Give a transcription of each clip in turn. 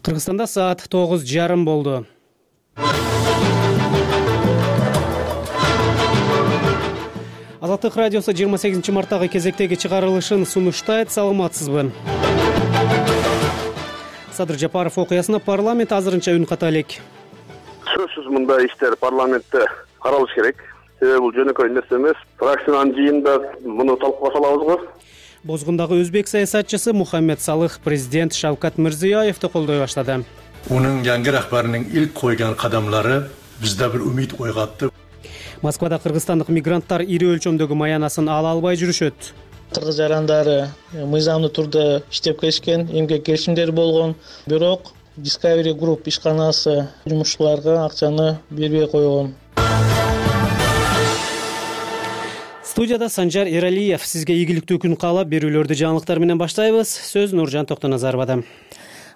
Кыргызстанда саат 9:30 болду. Азаттык радиосу 28 марттагы кезектеги чыгарылышын сунуштайт. Саламатсызбы? Садыр Жапаров окуясына парламент азырынча үн ката элек. Сөзсүз мындай иштер парламентте каралыш керек. Себеби бул жөнөкөй нерсе эмес. Фракциянын жыйынында муну талкууга салабыз го. Бозгундагы өзбек саясатчысы Мухаммед Салых президент Шавкат Мирзиёевди колдой баштады. Унун жаңы рахбарынын илк койгон кадамлары бизде бир үмүт ойготду. Москвада кыргызстандык мигранттар ири өлчөмдөгү маянасын ала албай жүрүшөт. Кыргыз жарандары мыйзамдуу турда иштеп келишкен, эмгек келишимдери болгон, бирок Discovery Group ишканасы жумушчуларга акчаны бербей койгон. Студияда Санжар Эралиев. Сизге ийгиликтүү күн каалап, берүүлөрдү жаңылыктар менен баштайбыз. Сөз Нуржан Токтоназаровада.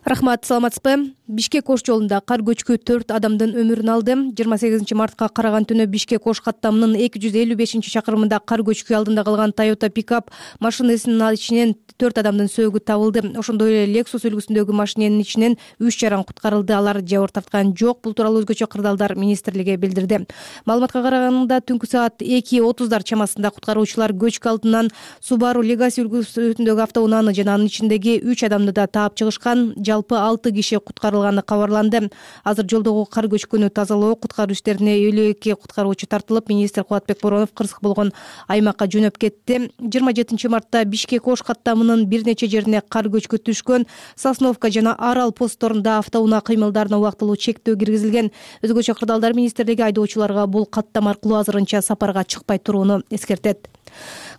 Рахмат, саламатсызбы? Бишкек Ош жолунда кар көчкү 4 адамдын өмүрүн алды. 28 мартка караган түнү Бишкек Ош каттамынын 255-чакырымында кар көчкү алдында калган Toyota пикап машинасынын ичинен 4 адамдын сөөгү табылды. Ошондой эле Lexus үлгүсүндөгү машиненин ичинен 3 жаран куткарылды. Алар жабыр тарткан жок. Бул тууралуу өзгөчө кырдаалдар министрлиги билдирди. Маалыматка караганда түнкү саат 2:30 чамасында куткаруучулар көчкү алдынан Subaru Legacy үлгүсүндөгү автоунааны жана анын ичиндеги 3 адамды да таап чыгышкан. Жалпы 6 киши куткарылганы кабарланды. Азыр жолдогу кар көчкүнү тазалоо, куткаруу иштерине 52 куткаруучу тартылып, министр Кубатбек Боронов кырсык болгон аймакка жөнөп кетти. 27 мартта Бишкек Ош каттамынын бир нече жерине кар көчкү түшкөн. Сосновка жана Арал постторунда автоунаа кыймылдарына убактылуу чектөө киргизилген. Өзгөчө кырдаалдар министрлиги айдоочуларга бул каттам аркылуу азырынча сапарга чыкпай турууну эскертет.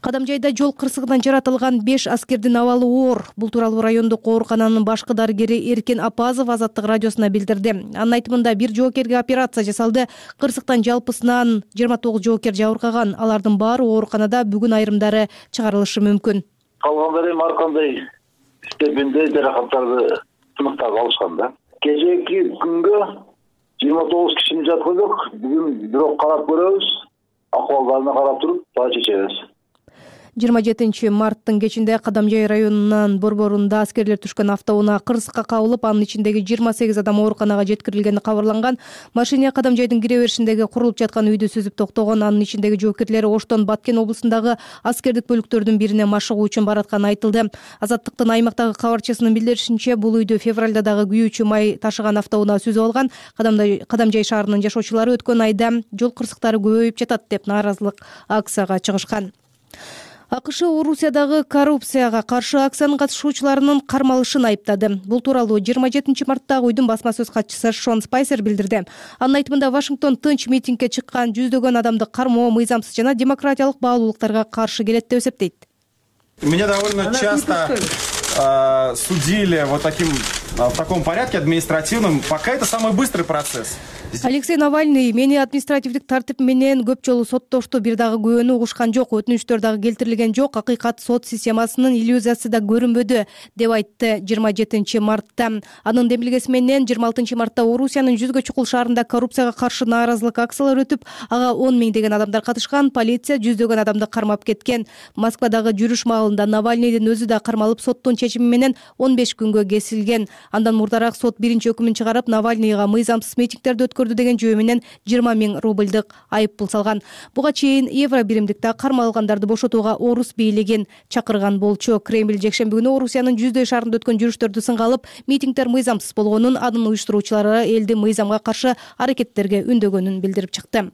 Кадамжайда жол кырсыгынан жаратылган 5 аскердин абалы оор. Бул тууралуу райондук оорукананын башкы дарыгери Эркен Апазов Азаттык радиосуна билдирди. Анын айтымында бир жоокерге операция жасалды. Кырсыктан жалпысынан 29 жоокер жабыркаган. Алардын баары ооруканада, бүгүн айрымдары чыгарылышы мүмкүн. Калгандар эми ар кандай степенде жаракаттарды сыныктап алышкан да. Кечээки күнгө 29 кишини жаткыздык. Бүгүн бирок карап көрөбүз. Акыбалдарына карап туруп, баа чечебиз. 27 марттын кечинде Кадамжай районунун борборунда аскерлер түшкөн автоунаа кырсыкка кабылып, анын ичиндеги 28 адам ооруканага жеткирилгени кабарланган. Машина Кадамжайдын кире беришиндеги курулуп жаткан үйдү сүзүп токтогон. Анын ичиндеги жоокерлер Оштон Баткен облусундагы аскердик бөлүктөрдүн бирине машыгуу үчүн баратканы айтылды. Азаттыктын аймактагы кабарчысынын билдиришинче, бул үйдү февралда дагы күйүүчү май ташыган автоунаа сүзүп алган. Кадамжай шаарынын жашоочулары өткөн айда жол кырсыктары көбөйүп жатат деп нааразылык акцияга чыгышкан. АКШ Орусиядагы коррупцияга каршы акциянын катышуучуларынын кармалышын айыптады. Бул тууралуу 27 мартта уйдун басма сөз катчысы Шон Спайсер билдирди. Анын айтымында Вашингтон тынч митингге чыккан жүздөгөн адамды кармоо мыйзамсыз жана демократиялык баалуулуктарга каршы келет деп эсептейт. Меня довольно часто судили в таком порядке административном, пока это самый быстрый процесс. Алексей Навальный мени административдик тартип менен көп жолу соттошту, бир дагы күбөнү угушкан жок, өтүнүчтөр дагы келтирилген жок, акыйкат сот системасынын иллюзиясы да көрүнбөдү деп айтты 27 мартта. Анын демилгеси менен 26 мартта Орусиянын жүзгө чукул шаарында коррупцияга каршы нааразылык акциялары өтүп, ага 10 миңдеген адамдар катышкан. Полиция жүздөгөн адамды кармап кеткен. Москвадагы жүрүш маалында Навальныйдын өзү да кармалып, соттун чечими менен 15 күнгө кесилген. Андан мурдараак сот биринчи өкүмүн чыгарып, Навальныйга мыйзамсыз митингдерди деген жөө менен 20 миң рубльдык айып пул салган. Буга чейин евро биримдикте кармалгандарды бошотууга орус бийлигин чакырган болчу. Кремль жекшемби күнү Орусиянын жүздөй шаарында өткөн жүрүштөрдү сынга алып, митингдер мыйзамсыз болгонун, анын уюштуруучулары элди мыйзамга каршы аракеттерге үндөгөнүн билдирип чыкты.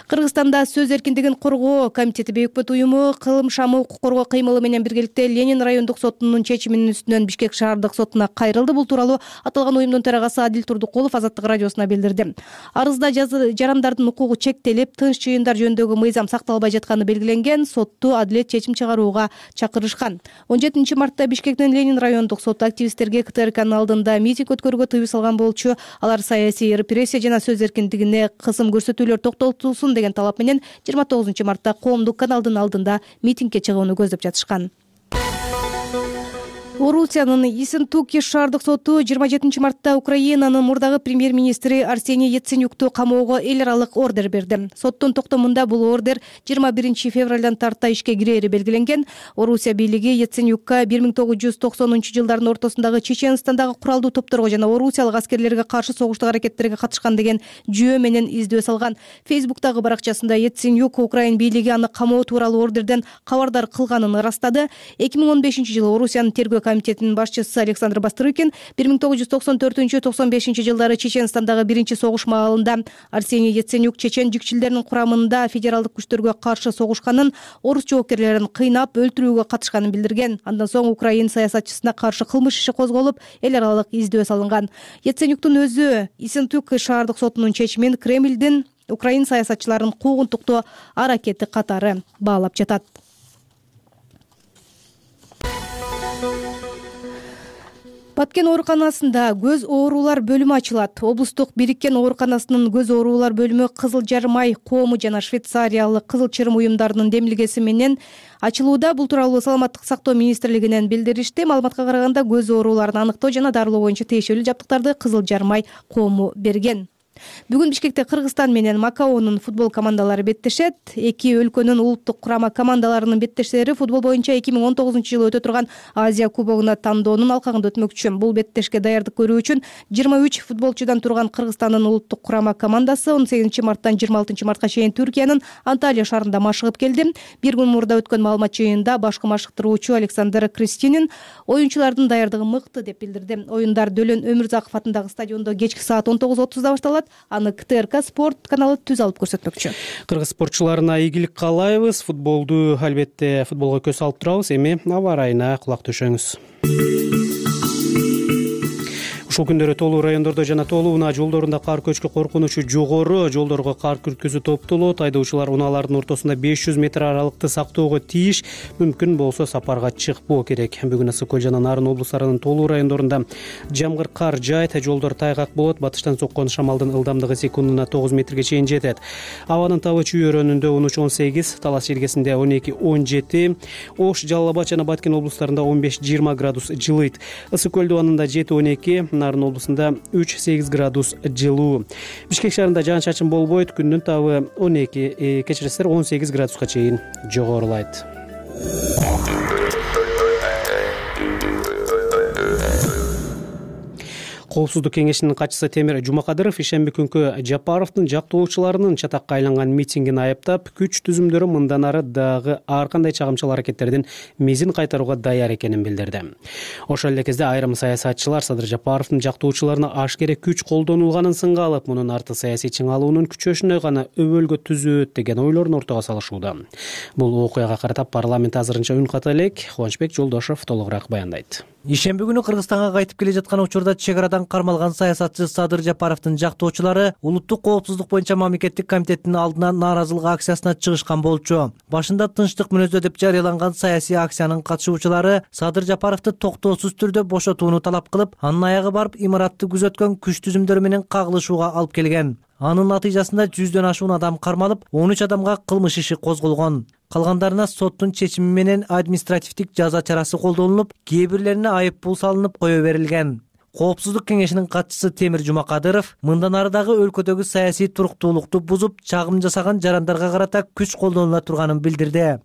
Кыргызстанда сөз эркиндигин коргоо комитети Бейөкпөт уюму кылым шамы укук коргоо кыймылы менен биргеликте Ленин райондук сотунун чечиминин үстүнөн Бишкек шаардык сотуна кайрылды. Бул тууралуу аталган уюмдун төрагасы Адил Турдукулов Азаттык радиосуна билдирди. Арызда жарандардын укугу чектелип, тынч жыйындар жөнүндөгү мыйзам сакталбай жатканы белгиленген. Сотту адилет чечим чыгарууга чакырышкан. 17 мартта Бишкектин Ленин райондук соту активисттерге КТРКнын алдында митинг өткөрүүгө тыюу салган болчу. Алар саясий репрессия жана сөз эркиндигине кысым көрсөтүүлөр токтотулсун деген талап менен 29 мартта коомдук каналдын алдында митингге чыгууну көздөп жатышкан. Орусиянын Ессентуки шаардык соту 27 мартта Украинанын мурдагы премьер-министри Арсений Яценюкту камоого эл аралык ордер берди. Соттун токтомунда бул ордер 21 февралдан тарта ишке кирери белгиленген. Орусия бийлиги Яценюкка 1990-жылдардын ортосундагы Чеченстандагы куралдуу топторго жана орусиялык аскерлерге каршы согуштук аракеттерге катышкан деген жүйө менен издөө салган. Фейсбуктагы баракчасында Яценюк Украин бийлиги аны камоо тууралуу ордерден кабардар кылганын ырастады. 2015-жылы Орусиянын тергөө комитетинин башчысы Александр Бастрыкин 1994-95 жылдары Чеченстандагы биринчи согуш маалында Арсений Яценюк чечен жикчилдеринин курамында федералдык күчтөргө каршы согушканын, орус жоокерлерин кыйнап өлтүрүүгө катышканын билдирген. Андан соң Украин саясатчысына каршы кылмыш иши козголуп, эл аралык издөө салынган. Яценюктун өзү Ессентуки шаардык сотунун чечимин Кремлдин Украин саясатчыларын куугунтуктоо аракети катары баалап жатат. Баткен ооруканасында көз оорулар бөлүмү ачылат. Облустук бириккен ооруканасынын көз оорулар бөлүмү Кызыл Жармай коому жана Швейцариялык Кызыл Чырым уюмдарынын демилгеси менен ачылууда. Бул тууралуу Саламаттык сактоо министрлигинен билдиришти. Маалыматка караганда көз ооруларын аныктоо жана дарылоо боюнча тиешелүү жабдыктарды Кызыл Жармай коому берген. Бүгүн Бишкекте Кыргызстан менен Макаонун футбол командалары беттешет. Эки өлкөнүн улуттук курама командаларынын беттештери футбол боюнча 2019-жылы өтө турган Азия кубогуна тандоонун алкагында өтмөкчү. Бул беттешке даярдык көрүү үчүн 23 футболчудан турган Кыргызстандын улуттук курама командасы 18 марттан 26 мартка чейин Түркиянын Анталия шаарында машыгып келди. Бир күн мурда өткөн маалымат жыйынында башкы машыктыруучу Александр Кристинин оюнчулардын даярдыгы мыкты деп билдирди. Оюндар Дөлөн Өмүрзаков атындагы стадиондо кечки саат 19:30-да башталат. Аны КТРК спорт каналы түз алып көрсөтмөкчү. Кыргыз спортчуларына ийгилик каалайбыз. Футболду албетте футболго көз салып турабыз. Эми аба ырайына кулак төшөңүз. Ушул күндөрү толуу райондордо жана толуу унаа жолдорунда кар көчкү коркунучу жогору. Жолдорго кар күрткүзүү топтолот. Айдоочулар унаалардын ортосунда 500 метр аралыкты сактоого тийиш. Мүмкүн болсо сапарга чыкпоо керек. Бүгүн Ысык Көл жана Нарын облустарынын толуу райондорунда жамгыр кар жаайт. Жолдор тайгак болот. Батыштан соккон шамалдын ылдамдыгы секундуна 9 метрге чейин жетет. Абанын табы чүй өрөөнүндө 13-18, Талас жергесинде 12-17, Ош, Жалал Абад жана Баткен облустарында 15-20 градус жылыйт. Ысык Көл дубанында 7-12, Нарын облусунда 3-8 градус жылуу. Бишкек шаарында жаан-чачын болбойт. Күндүн табы 12, кечиресиздер 18 градуска чейин жогорулайт. Коопсуздук кеңешинин катчысы Темир Жумакадыров ишемби күнкү Жапаровдун жактоочуларынын чатакка айланган митингин айыптап, күч түзүмдөрү мындан ары дагы ар кандай чагымчыл аракеттердин мезин кайтарууга даяр экенин билдирди. Ошол эле кезде айрым саясатчылар Садыр Жапаровдун жактоочуларына ашкере күч колдонулганын сынга алып, мунун арты саясий чыңалуунун күчөшүнө гана өбөлгө түзөт деген ойлорун ортого салышууда. Бул окуяга карата парламент азырынча үн ката элек. Кубанычбек Жолдошов толугураак баяндайт. Ишемби күнү Кыргызстанга кайтып келе жаткан учурда чек арадан кармалган саясатчы Садыр Жапаровдун жактоочулары улуттук коопсуздук боюнча мамлекеттик комитеттин алдына нааразылык акциясына чыгышкан болчу. Башында тынчтык мүнөздө деп жарыяланган саясий акциянын катышуучулары Садыр Жапаровду токтоосуз түрдө бошотууну талап кылып, анын аягы барып имаратты күзөткөн күч түзүмдөрү менен кагылышууга алып келген. Анын натыйжасында 100дөн ашуун адам кармалып, 13 адамга кылмыш иши козголгон. Калгандарына соттун чечими менен административдик жаза чарасы колдонулуп, кээ бирлерине айып пул салынып кое берилген. Коопсуздук кеңешинин катчысы Темир Жумакадыров мындан ары дагы өлкөдөгү саясий туруктуулукту бузуп, чагым жасаган жарандарга карата күч колдонула турганын билдирди.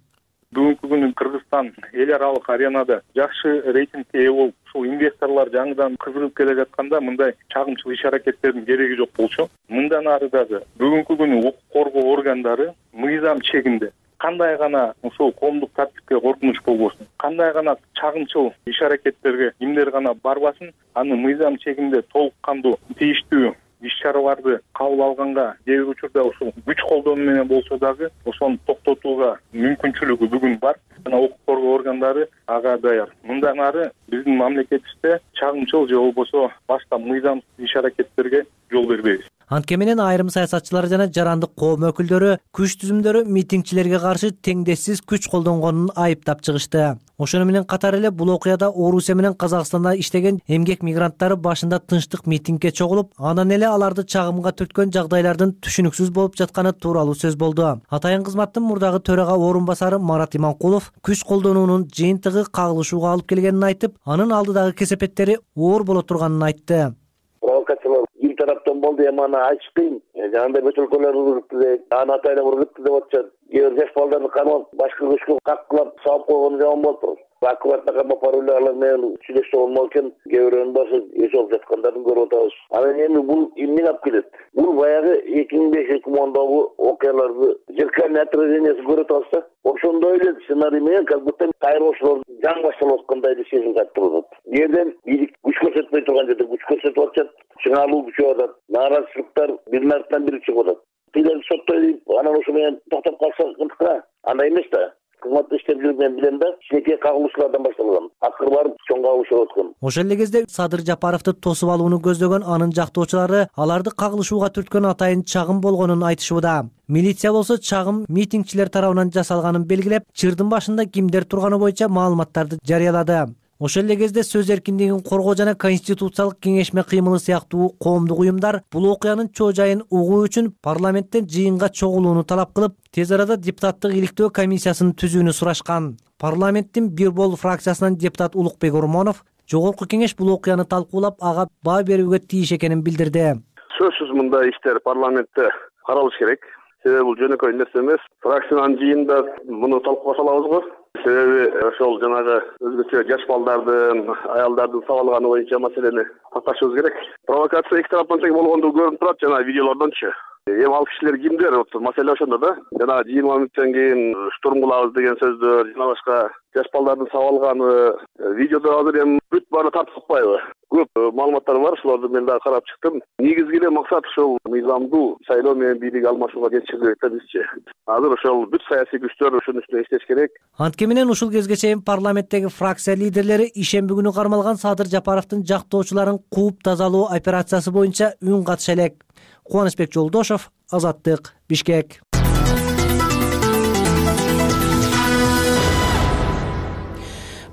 Бүгүнкү күнү Кыргызстан эл аралык аренада жакшы рейтингге ээ болуп, ушул инвесторлор жаңыдан кызыгып келе жатканда мындай чагымчыл иш аракеттердин кереги жок болчу. Мындан ары дагы бүгүнкү күнү укук коргоо органдары мыйзам чегинде кандай гана ушул коомдук тартипке коркунуч болбосун, кандай гана чагымчыл иш аракеттерге кимдер гана барбасын, аны мыйзам чегинде толук кандуу тийиштүү иш-чараларды кабыл алганга, кээ бир учурда ушул күч колдонуу менен болсо дагы ошону токтотууга мүмкүнчүлүгү бүгүн бар. Жана укук коргоо органдары ага даяр. Мындан ары биздин мамлекетибизде чагымчыл же болбосо башка мыйзамсыз иш аракеттерге жол бербейбиз. Анткени менен айрым саясатчылар жана жарандык коом өкүлдөрү күч түзүмдөрү митингчилерге каршы теңдессиз күч колдонгонун айыптап чыгышты. Ошону менен катар эле бул окуяда Орусия менен Казакстанда иштеген эмгек мигранттары башында тынчтык митингге чогулуп, анан эле аларды чагымга түрткөн жагдайлардын түшүнүксүз болуп жатканы тууралуу сөз болду. Атайын кызматтын мурдагы төрага орун басары Марат Иманкулов күч колдонуунун жыйынтыгы кагылышууга алып келгенин айтып, анын алдыдагы кесепеттери оор боло турганын айтты. Провокациялар бир тараптан болду, эми аны айтыш кыйын. Жанагындай бөтөлкөлөр ургутту, аны атайын ургутту деп атышат. Кээ бир жаш балдарды кармап, башка күчкө каккылап салып койгону жаман болуп тур. Акыбатына камап барып эле алар менен сүйлөшсө болмок экен. Кээ бирөөнүн башы эс алып жаткандарын көрүп атабыз. Анан эми бул эмнеге алып келет? Бул баягы 2005-2010догу окуяларды зеркальный отражениясы көрүп атабыз да. Ошондой эле сценарий менен как будто кайрылуучулар жаңы башталып аткандай эле сезим каттырып атат. Жерден бийлик күч көрсөтпөй турган жерде күч көрсөтүп атышат. Чыңалуу күчөп атат. Нааразычылыктар биринин артынан бири чыгып атат. Тилерди соттой дейп, анан ошо менен токтоп калса ынтыкта. Андай эмес да. Кызматта иштеп жүрүп мен билем да, кичинекей кагылышуулардан башталган. Акыры барып чоң кагылыш болуп аткан. Ошол эле кезде Садыр Жапаровду тосуп алууну көздөгөн анын жактоочулары аларды кагылышууга түрткөн атайын чагым болгонун айтышууда. Милиция болсо чагым митингчилер тарабынан жасалганын белгилеп, чырдын башында кимдер турганы боюнча маалыматтарды жарыялады. Ошол эле кезде сөз эркиндигин коргоо жана Конституциялык кеңешме кыймылы сыяктуу коомдук уюмдар бул окуянын чоо жайын угуу үчүн парламенттен жыйынга чогулууну талап кылып, тез арада депутаттык иликтөө комиссиясын түзүүнү сурашкан. Парламенттин Бир Бол фракциясынан депутат Улукбек Ормонов жогорку кеңеш бул окуяны талкуулап, ага баа берүүгө тийиш экенин билдирди. Сөзсүз мындай иштер парламентте каралыш керек. Себеби бул жөнөкөй нерсе эмес. Фракциянын жыйынында муну талкууга салабыз го. Себеби ошол жанагы өзгөчө жаш балдардын, аялдардын сабалганы боюнча маселени такташыбыз керек. Провокация эки тараптан тең болгондугу көрүнүп турат жана видеолордончу. Эми ал кишилер кимдер? Маселе ошондо да. Жана жыйын моменттен кийин штурм кылабыз деген сөздөр, жана башка жаш балдардын сабалганы видеодо азыр эми бүт баары тартып атпайбы? Көп маалыматтар бар, ошолорду мен дагы карап чыктым. Негизги эле максат ушул мыйзамдуу шайлоо менен бийлик алмашууга жетиши керек да бизче. Азыр ошол бүт саясий күчтөр ушунун үстүнө иштеш керек. Анткени менен ушул кезге чейин парламенттеги фракция лидерлери ишемби күнү кармалган Садыр Жапаровдун жактоочуларын кууп тазалоо операциясы боюнча үн катыша элек. Кубанычбек Жолдошов, Азаттык, Бишкек.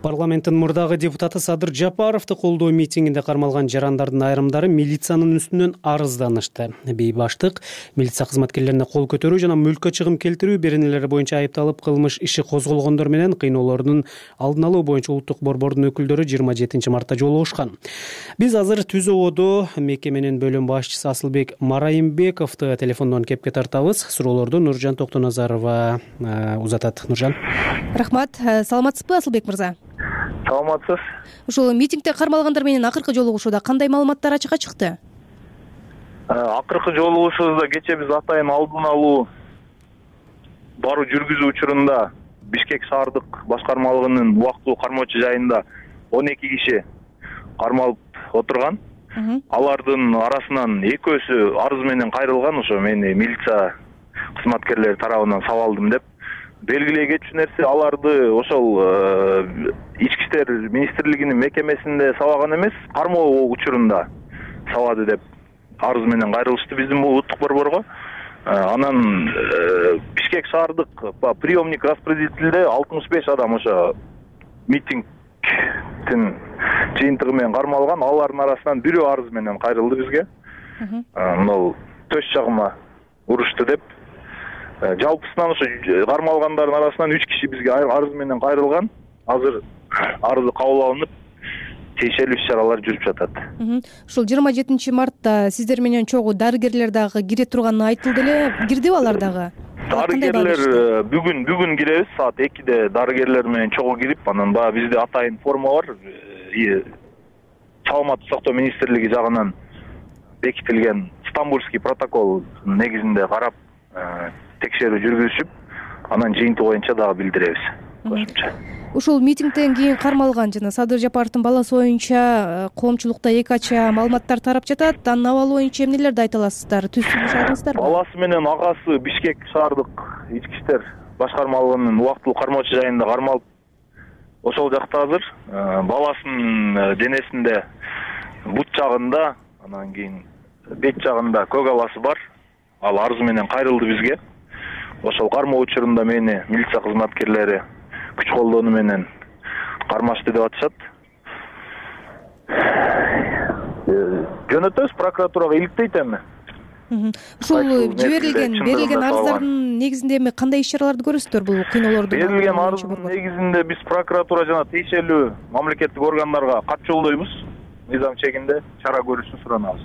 Парламенттин мурдагы депутаты Садыр Жапаровду колдоо митингинде кармалган жарандардын айрымдары милициянын үстүнөн арызданышты. Бейбаштык, милиция кызматкерлерине кол көтөрүү жана мүлккө чыгым келтирүү беренелери боюнча айыпталып кылмыш иши козголгондор менен кыйноолордун алдын алуу боюнча улуттук борбордун өкүлдөрү 27 мартта жолугушкан. Биз азыр Түз ободо мекеменин бөлүм башчысы Асылбек Марайымбековду телефондон кепке тартабыз. Суроолорду Нуржан Токтоназарова узатат. Нуржан. Рахмат. Саламатсызбы, Асылбек мырза? Саламатсыз. Ушул митингде кармалгандар менен акыркы жолугушууда кандай маалыматтар ачыкка чыкты? Акыркы жолугушуубузда кечээ биз атайын алдын алуу баруу жүргүзүү учурунда Бишкек шаардык башкармалыгынын убактылуу кармоочу жайында 12 киши кармалып отурган. Алардын арасынан экөөсү арыз менен кайрылган, ошо мени милиция кызматкерлери тарабынан сабалдым деп. Белгилей кетчү нерсе, аларды ошол Ички иштер министрлигинин мекемесинде сабаган эмес, кармоо учурунда сабады деп арыз менен кайрылышты биздин улуттук борборго. Анан Бишкек шаардык приемник распределителде 65 адам ошо митингдин жыйынтыгы менен кармалган. Алардын арасынан бирөө арыз менен кайрылды бизге. Мына төш жагыма урушту деп. Жалпысынан ошо кармалгандардын арасынан 3 киши бизге арыз менен кайрылган. Азыр арызы кабыл алынып, тиешелүү иш-чаралар жүрүп жатат. Ушул 27 мартта сиздер менен чогуу дарыгерлер дагы кире турганы айтылды эле. Кирдиби алар дагы? Дарыгерлер бүгүн киребиз, саат 2-де дарыгерлер менен чогуу кирип, анан баягы бизде атайын форма бар. Саламаттык сактоо министрлиги жагынан бекитилген Стамбульский протокол негизинде карап текшерүү жүргүзүшүп, анан жыйынтыгы боюнча дагы билдиребиз. Кошумча. Ушул митингден кийин кармалган жана Садыр Жапаровдун баласы боюнча коомчулукта эки ача маалыматтар тарап жатат. Анын абалы боюнча эмнелерди айта аласыздар? Түздүк алдыңыздарбы? Баласы менен агасы Бишкек шаардык ички иштер башкармалыгынын убактылуу кармоочу жайында кармалып ошол жакта азыр. Баласынын денесинде бут жагында, анан кийин бет жагында көк аласы бар. Ал арыз менен кайрылды бизге. Ошол кармоо учурунда мени милиция кызматкерлери күч колдонуу менен кармашты деп атышат. Жөнөтөбүз, прокуратурага иликтейт эми. Ушул берилген арыздардын негизинде эми кандай иш-чараларды көрөсүздөр бул кыйноолорду? Берилген арыздын негизинде биз прокуратура жана тиешелүү мамлекеттик органдарга кат жолдойбуз. Мыйзам чегинде чара көрүшүн суранабыз.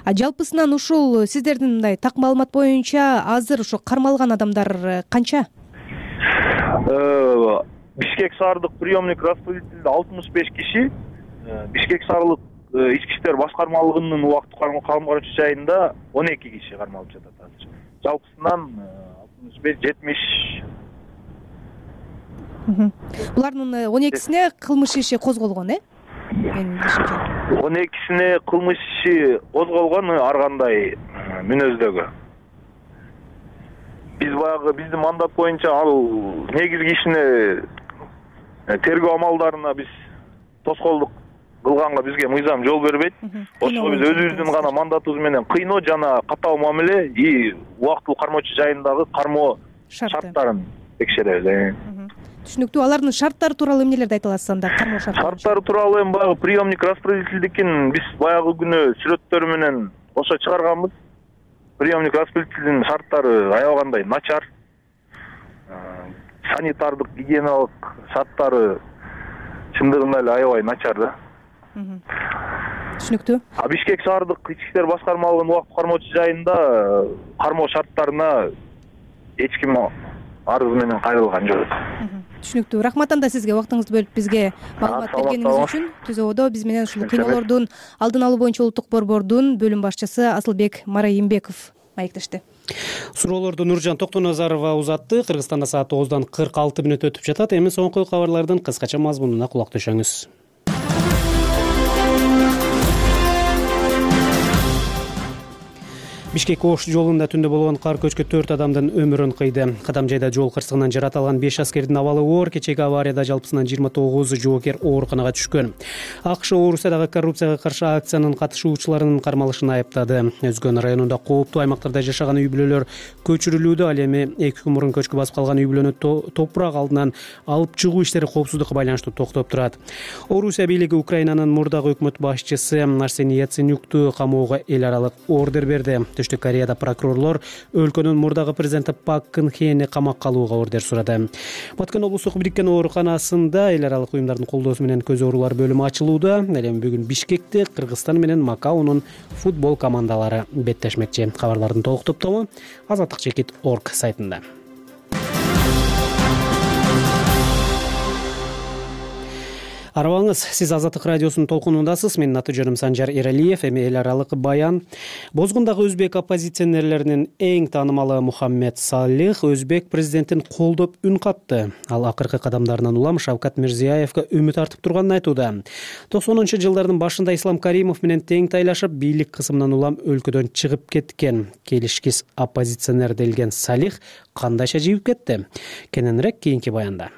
Жалпысынан ушул сиздердин мындай так маалымат боюнча азыр ошо кармалган адамдар канча? Бишкек шаардык приемник распределителде 65 киши, Бишкек шаардык ички иштер башкармалыгынын убактылык кармалган жайында 12 киши кармалып жатат азыр. Жалпысынан 65-70. Булардын 12сине кылмыш иши козголгон, 12сине кылмыш иши козголгон ар кандай мүнөздөгү. Биз баягы биздин мандат боюнча ал негизги ишине тергөө амалдарына биз тоскоолдук кылганга бизге мыйзам жол бербейт. Ошого биз өзүбүздүн гана мандатыбыз менен кыйноо жана катаал мамиле убактылуу кармоочу жайындагы кармоо шарттарын текшеребиз. Түшүнүктүү. Алардын шарттары тууралуу эмнелерди айта аласыз анда? Кармоо шарттары тууралуу эми баягы приемник распределительдикин биз баягы күнү сүрөттөрү менен ошо чыгарганбыз. Приемник распределительдин шарттары аябагандай начар. Санитардык, гигиеналык шарттары чындыгында эле аябай начар да. Түшүнүктүү. Бишкек шаардык ички иштер башкармалыгынын убактылык кармоочу жайында кармоо шарттарына эч ким арыз менен кайрылган жок. Түшүнүктүү. Рахмат анда сизге убактыңызды бөлүп бизге маалымат бергениңиз үчүн. Түзөбөдө биз менен ушул кыйноолордун алдын алуу боюнча улуттук борбордун бөлүм башчысы Асылбек Марайымбеков маектешти. Суроолорду Нуржан Токтоназарова узатты. Кыргызстанда саат 9:46 өтүп жатат. Эми соңку кабарлардын кыскача мазмунуна кулак төшөңүз. Бишкек Ош жолунда түндө болгон кар көчкү 4 адамдын өмүрүн кыйды. Кадамжайда жол кырсыгынан жаратылган 5 аскердин абалы оор. Кечеги аварияда жалпысынан 29 жоокер ооруканага түшкөн. АКШ Орусиядагы коррупцияга каршы акциянын катышуучуларынын кармалышын айыптады. Өзгөн районунда кооптуу аймактарда жашаган үй бүлөлөр көчүрүлүүдө. Ал эми 2 күн мурун көчкү басып калган үй бүлөнү топурак алдынан алып чыгуу иштери коопсуздукка байланыштуу токтоп турат. Орусия бийлиги Украинанын мурдагы өкмөт башчысы Арсений Яценюкту камоого эл аралык ордер берди. Түштүк Кореяда прокурорлор өлкөнүн мурдагы президенти Пак Кын Хени камакка алууга ордер сурады. Баткен облустук бириккен ооруканасында эл аралык уюмдардын колдоосу менен көз оорулар бөлүмү ачылууда. Ал эми бүгүн Бишкекте Кыргызстан менен Макаонун футбол командалары беттешмекчи. Кабарлардын толук топтому azatlik.org сайтында. Арабаңыз, сиз Азаттык радиосунун толкунундасыз. Менин аты жөнүм Санжар Эралиев. Эми эл аралык баян. Бозгундагы өзбек оппозиционерлеринин эң таанымалы Мухаммед Салих өзбек президентин колдоп үн катты. Ал акыркы кадамдарынан улам Шавкат Мирзиёевге үмүт артып турганын айтууда. 90-жылдардын башында Ислам Каримов менен тең тайлашып, бийлик кысымынан улам өлкөдөн чыгып кеткен келишкис оппозиционер делген Салих кандайча жибип кетти? Кененирээк кийинки баянда.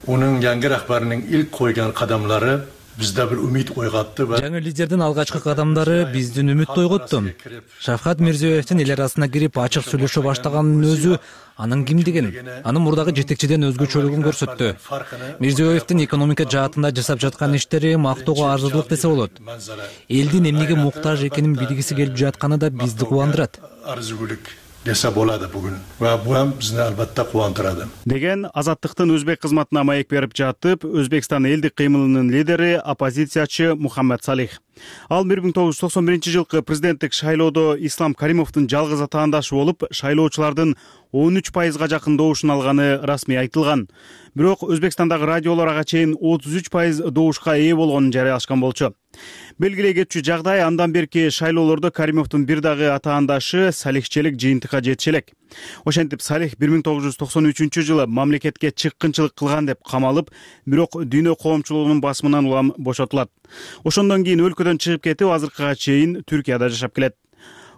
Onun yangi rahbarining ilk qo'ygan qadamlari bizda bir umid uyg'otdi va жаңы лидердин алгачкы кадамдары биздин үмүттү ойготту. Шавкат Мирзиёевдин эл арасына кирип ачык сүйлөшө баштаганынын өзү анын кимдигин, анын мурдагы жетекчиден өзгөчөлүгүн көрсөттү. Мирзиёевдин экономика жаатында жасап жаткан иштери мактоого арзыдылык десе болот. Элдин эмнеге муктаж экенин билгиси келип жатканы да бизди кубандырат. desa bo'ladi bugun va bu ham bizni albatta quvontiradi деген Азаттыктын өзбек кызматына маек берип жатып, Өзбекстан элдик кыймылынын лидери оппозициячы Мухаммед Салих. Ал 1991-жылкы президенттик шайлоодо Ислам Каримовдун жалгыз атаандашы болуп, шайлоочулардын 13%га жакын добушун алганы расмий айтылган. Бирок Өзбекстандагы радиолор ага чейин 33% добушка ээ болгонун жарыялашкан болчу. Белгилей кетчү жагдай андан берки шайлоолордо Каримовдун бир дагы атаандашы Салихчелик жыйынтыкка жетиши элек. Ошентип Салих 1993-жылы мамлекетке чыккынчылык кылган деп камалып, бирок дүйнө коомчулугунун басымынан улам бошотулат. Ошондон кийин өлкөдөн чыгып кетип, азыркыга чейин Түркияда жашап келет.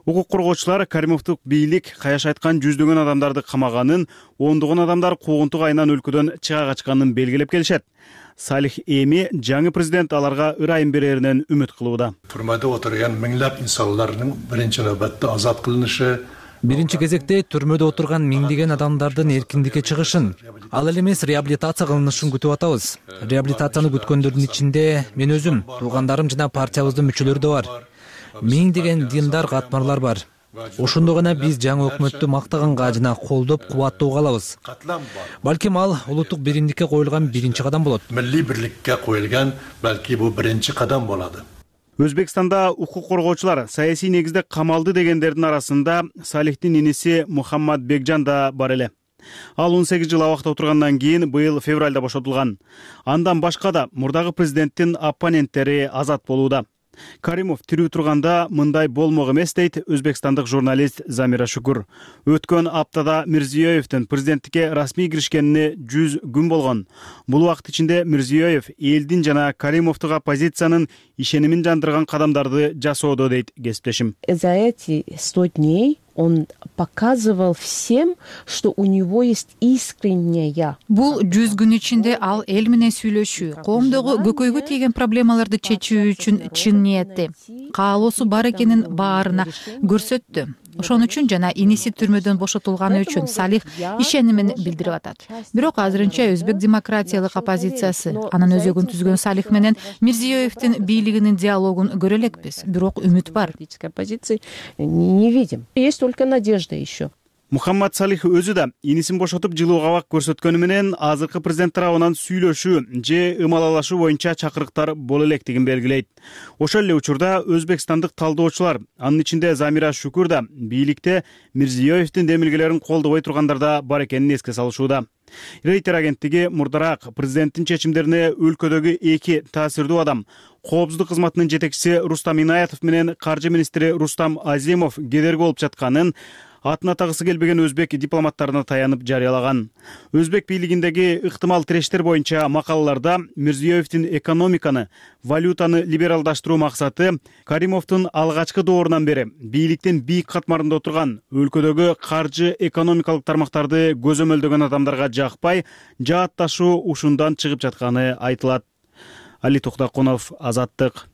Укук коргоочулар Каримовдук бийлик каяш айткан жүздөгөн адамдарды камаганын, ондогон адамдар куугунтук айынан өлкөдөн чыга качканын белгилеп келишет. Салих эми жаңы президент аларга ырайым береринен үмүт кылууда. Түрмөдө отурган миңдеп инсанлардын биринчи нөбөттө азат кылынышы, биринчи кезекте түрмөдө отурган миңдеген адамдардын эркиндикке чыгышын, ал эле эмес реабилитация кылынышын күтүп атабыз. Реабилитацияны күткөндөрдүн ичинде мен өзүм, туугандарым жана партиябыздын мүчөлөрү да бар. Миңдеген диндар катмарлар бар. Ошондо гана биз жаңы өкмөттү мактаганга жана колдоп кубаттоого алабыз. Балким ал улуттук биримдикке коюлган биринчи кадам болот. Милли бирликке коюлган балки бул биринчи кадам болот. Өзбекстанда укук коргоочулар саясий негизде камалды дегендердин арасында Салихтин иниси Мухаммад Бекжан да бар эле. Ал 18 жыл абакта отургандан кийин быйыл февралда бошотулган. Андан башка да мурдагы президенттин оппоненттери азат болууда. Каримов тирүү турганда мындай болмок эмес дейт өзбекстандык журналист Замира Шукур. Өткөн аптада Мирзиёевдин президенттикке расмий киришкенине 100 күн болгон. Бул убакыт ичинде Мирзиёев элдин жана Каримовдук оппозициянын ишенимин жандырган кадамдарды жасоодо дейт кесиптешим. За эти 100 дней он показывал всем, что у него есть искренняя. Бул 100 күн ичинде ал эл менен сүйлөшүү, коомдогу көкөйгө тийген проблемаларды чечүү үчүн чын ниетти, каалоосу бар экенин баарына көрсөттү. Ошон үчүн жана иниси түрмөдөн бошотулганы үчүн Салих ишенимин билдирип атат. Бирок азырынча өзбек демократиялык оппозициясы анын өзөгүн түзгөн Салих менен Мирзиёевдин бийлигинин диалогун көрө элекпиз. Бирок үмүт бар. Оппозиции не видим. Есть только надежда еще. Мухаммад Салих өзү да инисин бошотуп жылуу кабак көрсөткөнү менен азыркы президент тарабынан сүйлөшүү же ымалалашуу боюнча чакырыктар боло электигин белгилейт. Ошол эле учурда өзбекстандык талдоочулар, анын ичинде Замира Шукур да бийликте Мирзиёевдин демилгелерин колдобой тургандар да бар экенин эске салышууда. Рейтер агенттиги мурдараак президенттин чечимдерине өлкөдөгү эки таасирдүү адам, коопсуздук кызматынын жетекчиси Рустам Инаятов менен каржы министри Рустам Азимов кедерги болуп жатканын атын атагысы келбеген өзбек дипломаттарына таянып жарыялаган. Өзбек бийлигиндеги ыктымал тирештер боюнча макалаларда Мирзиёевдин экономиканы, валютаны либералдаштыруу максаты Каримовдун алгачкы доорунан бери бийликтин бийик катмарында отурган өлкөдөгү каржы экономикалык тармактарды көзөмөлдөгөн адамдарга жакпай, жаатташуу ушундан чыгып жатканы айтылат. Али Токтакунов, Азаттык.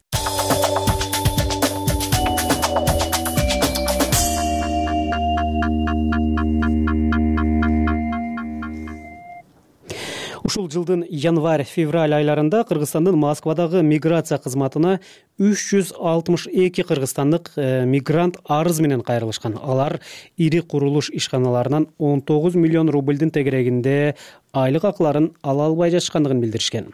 Ушул жылдын январь-февраль айларында Кыргызстандын Москвадагы миграция кызматына 362 кыргызстандык мигрант арыз менен кайрылышкан. Алар ири курулуш ишканаларынан 19 миллион рубльдин тегерегинде айлык акыларын ала албай жатышкандыгын билдиришкен.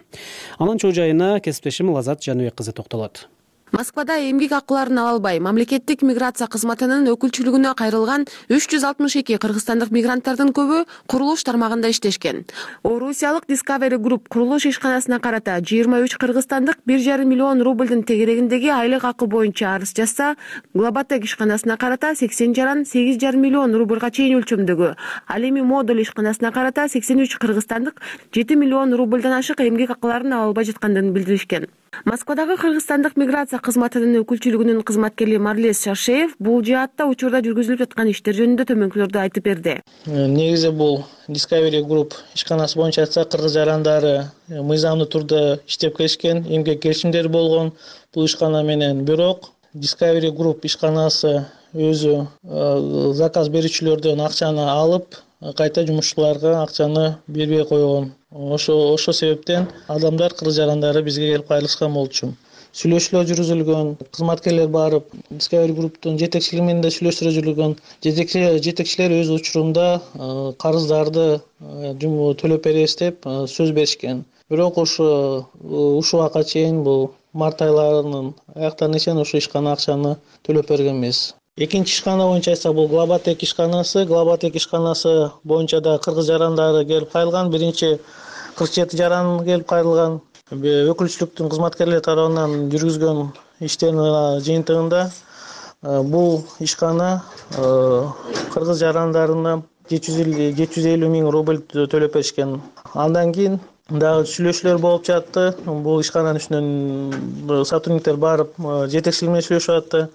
Анын чоо жайына кесиптешим Лазат Жаныбек кызы токтолот. Москвада эмгек акыларын ала албай мамлекеттик миграция кызматынын өкүлчүлүгүнө кайрылган 362 кыргызстандык мигранттардын көбү курулуш тармагында иштешкен. Орусиялык Discovery Group курулуш ишканасына карата 23 кыргызстандык 1,5 миллион рубльдин тегерегиндеги айлык акы боюнча арыз жазса, Глоботек ишканасына карата 80 жаран 8,5 миллион рубльга чейин өлчөмдөгү, ал эми Модуль ишканасына карата 83 кыргызстандык 7 миллион рубльдан ашык эмгек акыларын ала албай жаткандыгын билдиришкен. Москвадагы кыргызстандык миграция кызматынын өкүлчүлүгүнүн кызматкери Марлес Шаршеев бул жаатта учурда жүргүзүлүп жаткан иштер жөнүндө төмөнкүлөрдү айтып берди. Негизи бул Discovery Group ишканасы боюнча айтсак, кыргыз жарандары мыйзамдуу турда иштеп келишкен, эмгек келишимдери болгон бул ишкана менен. Бирок Discovery Group ишканасы өзү заказ берүүчүлөрдөн акчаны алып, кайта жумушчуларга акчаны бербей койгон. Ошо себептен адамдар, кыргыз жарандары бизге келип кайрылышкан болчу. Сүйлөшүүлөр жүргүзүлгөн, кызматкерлер барып, Discovery Group'тун жетекчилиги менен да сүйлөшүүлөр жүргүзүлгөн. Жетекчилер өз учурунда карыздарды төлөп беребиз деп сөз беришкен. Бирок ушул убакка чейин бул март айларынын аяктарына чейин ошо ишкана акчаны төлөп берген эмес. Экинчи ишкана боюнча айтсак, бул Глоботек ишканасы. Глоботек ишканасы боюнча да кыргыз жарандары келип кайрылган. Биринчи 47 жаран келип кайрылган. Өкүлчүлүктүн кызматкерлери тарабынан жүргүзгөн иштердин жыйынтыгында бул ишкана кыргыз жарандарына 750 миң рубль төлөп беришкен. Андан кийин дагы сүйлөшүүлөр болуп жатты. Бул ишкананын үстүнөн сотрудниктер барып жетекчилик менен сүйлөшүп атты.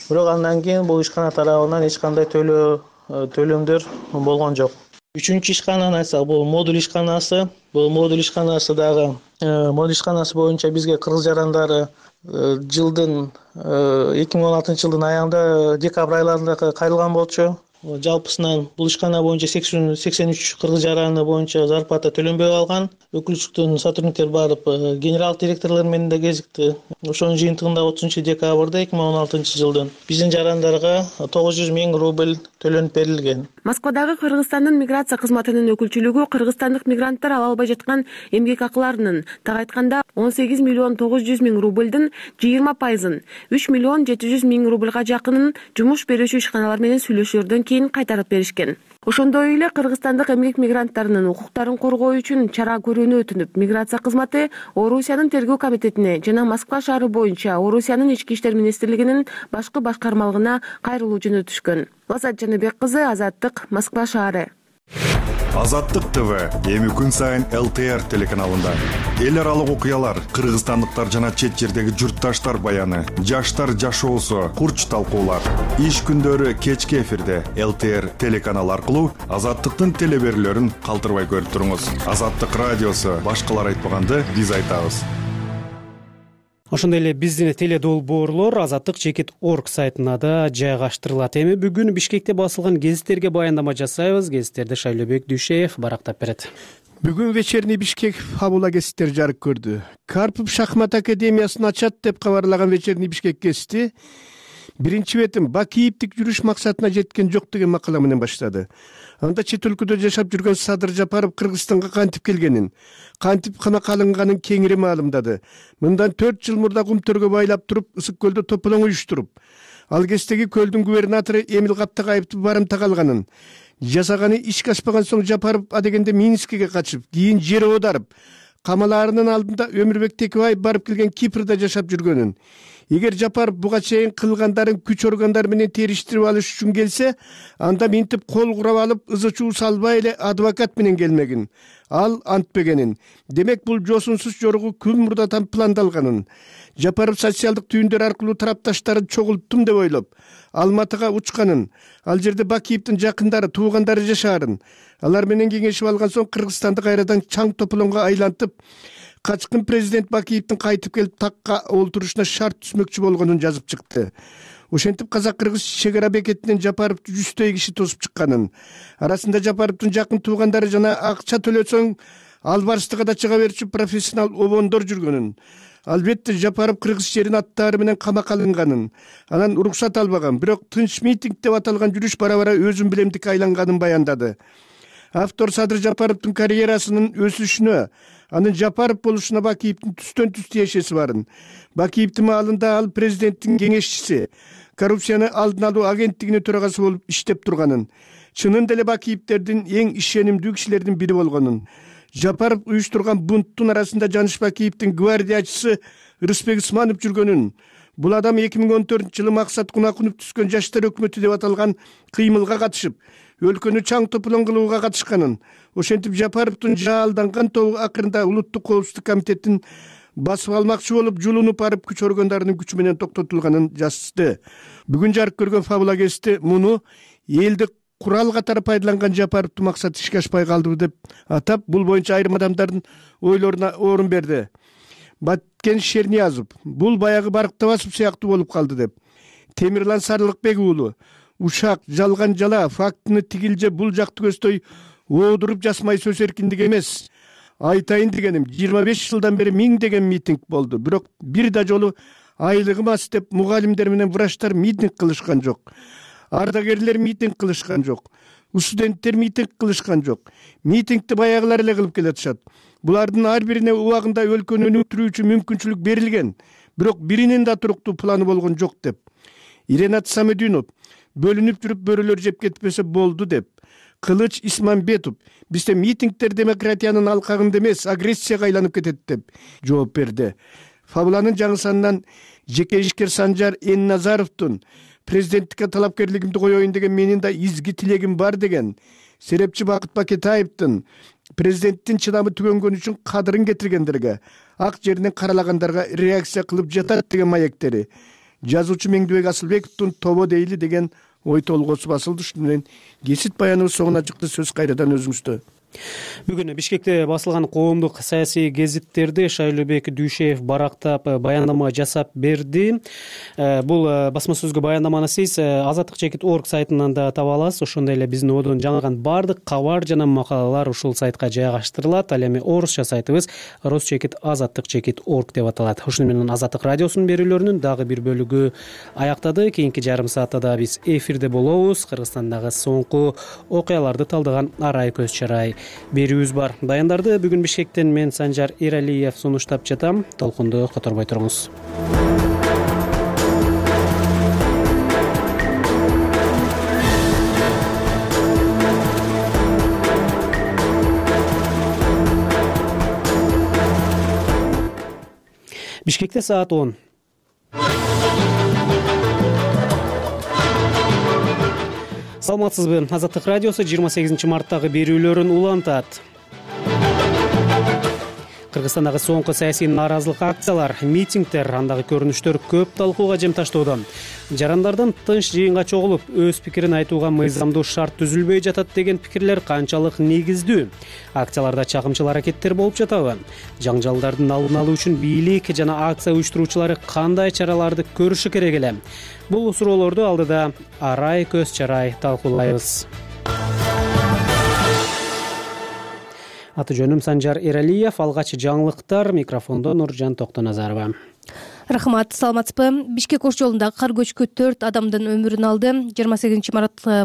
бирок андан кийин бул ишкана тарабынан эч кандай төлөмдөр болгон жок. Үчүнчү ишкананы айтсак, бул модуль ишканасы. Бул модуль ишканасы дагы модуль ишканасы боюнча бизге кыргыз жарандары жылдын 2016 жылдын аягында декабрь айларында кайрылган болчу. Жалпысынан бул ишкана боюнча 83 кыргыз жараны боюнча зарплата төлөнбөй калган. Өкүлчүлүктөн сотрудниктер барып генерал директорлор менен да кезикти. Ошонун жыйынтыгында 30 декабрда 2016 жылдын биздин жарандарга 900 000 рубль төлөнүп берилген. Москвадагы Кыргызстандын миграция кызматынын өкүлчүлүгү кыргызстандык мигранттар ала албай жаткан эмгек акыларынын так айтканда 18 миллион 900 000 рубльдин 20%, 3 миллион 700 000 рубльга жакынын жумуш берүүчү ишканалар менен сүйлөшүүлөрдөн кийин кайтарып беришкен. Ошондой эле кыргызстандык эмгек мигранттарынын укуктарын коргоо үчүн чара көрүүнү өтүнүп, миграция кызматы Орусиянын тергөө комитетине жана Москва шаары боюнча Орусиянын ички иштер министрлигинин башкы башкармалыгына кайрылуу жөнөтүшкөн. Лазат Жаныбек кызы, Азаттык, Москва шаары. Азаттык ТВ эми күн сайын ЛТР телеканалында. Эл аралык окуялар, кыргызстандыктар жана чет жердеги журтташтар баяны, жаштар жашоосу, курч талкуулар. Иш күндөрү кечки эфирде ЛТР телеканалы аркылуу Азаттыктын телеберүүлөрүн калтырбай көрүп туруңуз. Азаттык радиосу башкалар айтпаганды биз айтабыз. Ошондой эле биздин теледолбоорлор azattik.org сайтына да жайгаштырылат. Эми бүгүн Бишкекте басылган гезиттерге баяндама жасайбыз. Гезиттерди Шайлобек Дүйшеев барактап берет. Бүгүн вечерний Бишкек фабула гезиттер жарык көрдү. Карпов шахмат академиясын ачат деп кабарлаган вечерний Бишкек гезити биринчи бетин Бакиевдик жүрүш максатына жеткен жок деген макала менен баштады. Анда чет өлкөдө жашап жүргөн Садыр Жапаров Кыргызстанга кантип келгенин, кантип камакка алынганын кеңири маалымдады. Мындан 4 жыл мурда Кумтөргө байлап туруп, Ысык көлдө тополоң уюштуруп, ал кездеги көлдүн губернатору Эмил Каптагаевди барымтага алганын, жасаганы ишке ашпаган соң Жапаров адегенде Минскиге качып, кийин жер оодарып, камалаарынын алдында Өмүрбек Текебаев барып келген Кипрде жашап жүргөнүн, эгер Жапаров буга чейин кылгандарын күч органдары менен териштирип алыш үчүн келсе, анда минтип кол курап алып, ызы-чуу салбай эле адвокат менен келмегин. Ал антпегенин. Демек бул жосунсуз жоругу күн мурдатан пландалганын. Жапаров социалдык түйүндөр аркылуу тарапташтарын чогулттум деп ойлоп, Алматыга учканын, ал жерде Бакиевдин жакындары, туугандары жашаарын, алар менен кеңешип алган соң Кыргызстанды кайрадан чаң тополоңго айлантып, качкын президент Бакиевдин кайтып келип такка олтурушуна шарт түзмөкчү болгонун жазып чыкты. Ошентип казак-кыргыз чегара бекетинен Жапаровду 100 киши тосуп чыкканын, арасында Жапаровдун жакын туугандары жана акча төлөсөң албарстыга да чыга берчү профессионал обондор жүргөнүн, албетте Жапаров кыргыз жерин аттары менен камакка алынганын, анан уруксат албаган, бирок тынч митинг деп аталган жүрүш бара-бара өзүн билемдикке айланганын баяндады. Автор Садыр Жапаровдун карьерасынын өсүшүнө, анын Жапаров болушуна Бакиевдин түстөн-түз тиешеси барын. Бакиевдин маалында ал президенттин кеңешчиси, коррупцияны алдын алуу агенттигинин төрагасы болуп иштеп турганын, чынында эле Бакиевдердин эң ишенимдүү кишилердин бири болгонун, Жапаров уюштурган бунттун арасында Жаныш Бакиевдин гвардиячысы Рыспек Исманов жүргөнүн, бул адам 2014 жылы Максат Кунакунов түзгөн жаштар өкмөтү деп аталган кыймылга катышып, өлкөнү чаң тополоң кылууга катышканын, ошентип Жапаровдун жаалданган тобу акырында Улуттук коопсуздук комитетин басып алмакчы болуп, жулунуп барып күч органдарынын күчү менен токтотулганын жазды. Бүгүн жарык көргөн фабула гезити муну элди курал катары пайдаланган Жапаровдун максаты ишке ашпай калды деп атап, бул боюнча айрым адамдардын ойлоруна орун берди. Баткен Шерниязов бул баягы Барктабасов сыяктуу болуп калды деп. Темирлан Сарылыкбек уулу ушак, жалган жала, фактыны тигилже бул жакты көздөй оодуруп жасмай сөз эркиндиги эмес. Айтайын дегеним, 25 жылдан бери 1000 деген митинг болду. Бирок бир да жолу айлыгым аз деп мугалимдер менен врачтар митинг кылышкан жок. Ардагерлер митинг кылышкан жок. Студенттер митинг кылышкан жок. Митингди баягылар эле кылып келатышат. Булардын ар бирине убагында өлкөнү өнүктүрүүчү мүмкүнчүлүк берилген, бирок биринин да туруктуу планы болгон жок деп. Иренат Самединов бөлүнүп жүрүп бөрөлөр жеп кетпесе болду деп. Кылыч Исмамбетов бизде митингдер демократиянын алкагында эмес, агрессияга айланып кетет деп жооп берди. Фабуланын жаңы санынан жеке ишкер Санжар Энназаровдун президенттикке талапкерлигимди коеюн деген менин да изги тилегим бар деген, серепчи Бакыт Бакетаевдин президенттин чыдамы түгөнгөн үчүн кадырын кетиргендерге, ак жеринен каралагандарга реакция кылып жатат деген маектери, жазуучу Меңдибек Асылбековдун тобо дейли деген ой толгоосу басылды. Ушуну менен кесип баяныбыз соңуна чыкты. Сөз кайрадан өзүңүздө. Бүгүн Бишкекте басылган коомдук саясий гезиттерди Шайлообек Дүйшеев барактап баяндама жасап берди. Бул басма сөзгө баяндаманы сиз azatlyk.org сайтынан да таба аласыз. Ошондой эле биздин одон жаңылган баардык кабар жана макалалар ушул сайтка жайгаштырылат. Ал эми орусча сайтыбыз rus.azatlyk.org деп аталат. Ушуну менен Азаттык радиосунун берүүлөрүнүн дагы бир бөлүгү аяктады. Кийинки жарым саатта да биз эфирде болобуз. Кыргызстандагы соңку окуяларды талдаган арай көз чарай берүүбүз бар. Баяндарды бүгүн Бишкектен мен Санжар Эралиев сунуштап жатам. Толкунду которбой туруңуз. Бишкекте саат 10. Саламатсызбы? Азаттык радиосу 28 марттагы берүүлөрүн улантат. Кыргызстандагы соңку саясий нааразылык акциялар, митингдер, андагы көрүнүштөр көп талкууга жем таштоодо. Жарандардан тынч жыйынга чогулуп, өз пикирин айтууга мыйзамдуу шарт түзүлбөй жатат деген пикирлер канчалык негиздүү? Акцияларда чагымчыл аракеттер болуп жатабы? Жаңжалдардын алдын алуу үчүн бийлик жана акция уюштуруучулары кандай чараларды көрүшү керек эле? Бул суроолорду алдыда арай көз чарай талкуулайбыз. Аты жөнүм Санжар Эралиев, алгач жаңылыктар, микрофондо Нуржан Токтоназарова. Рахмат, саламатсызбы? Бишкек ош жолундагы кар көчкү 4 адамдын өмүрүн алды. 28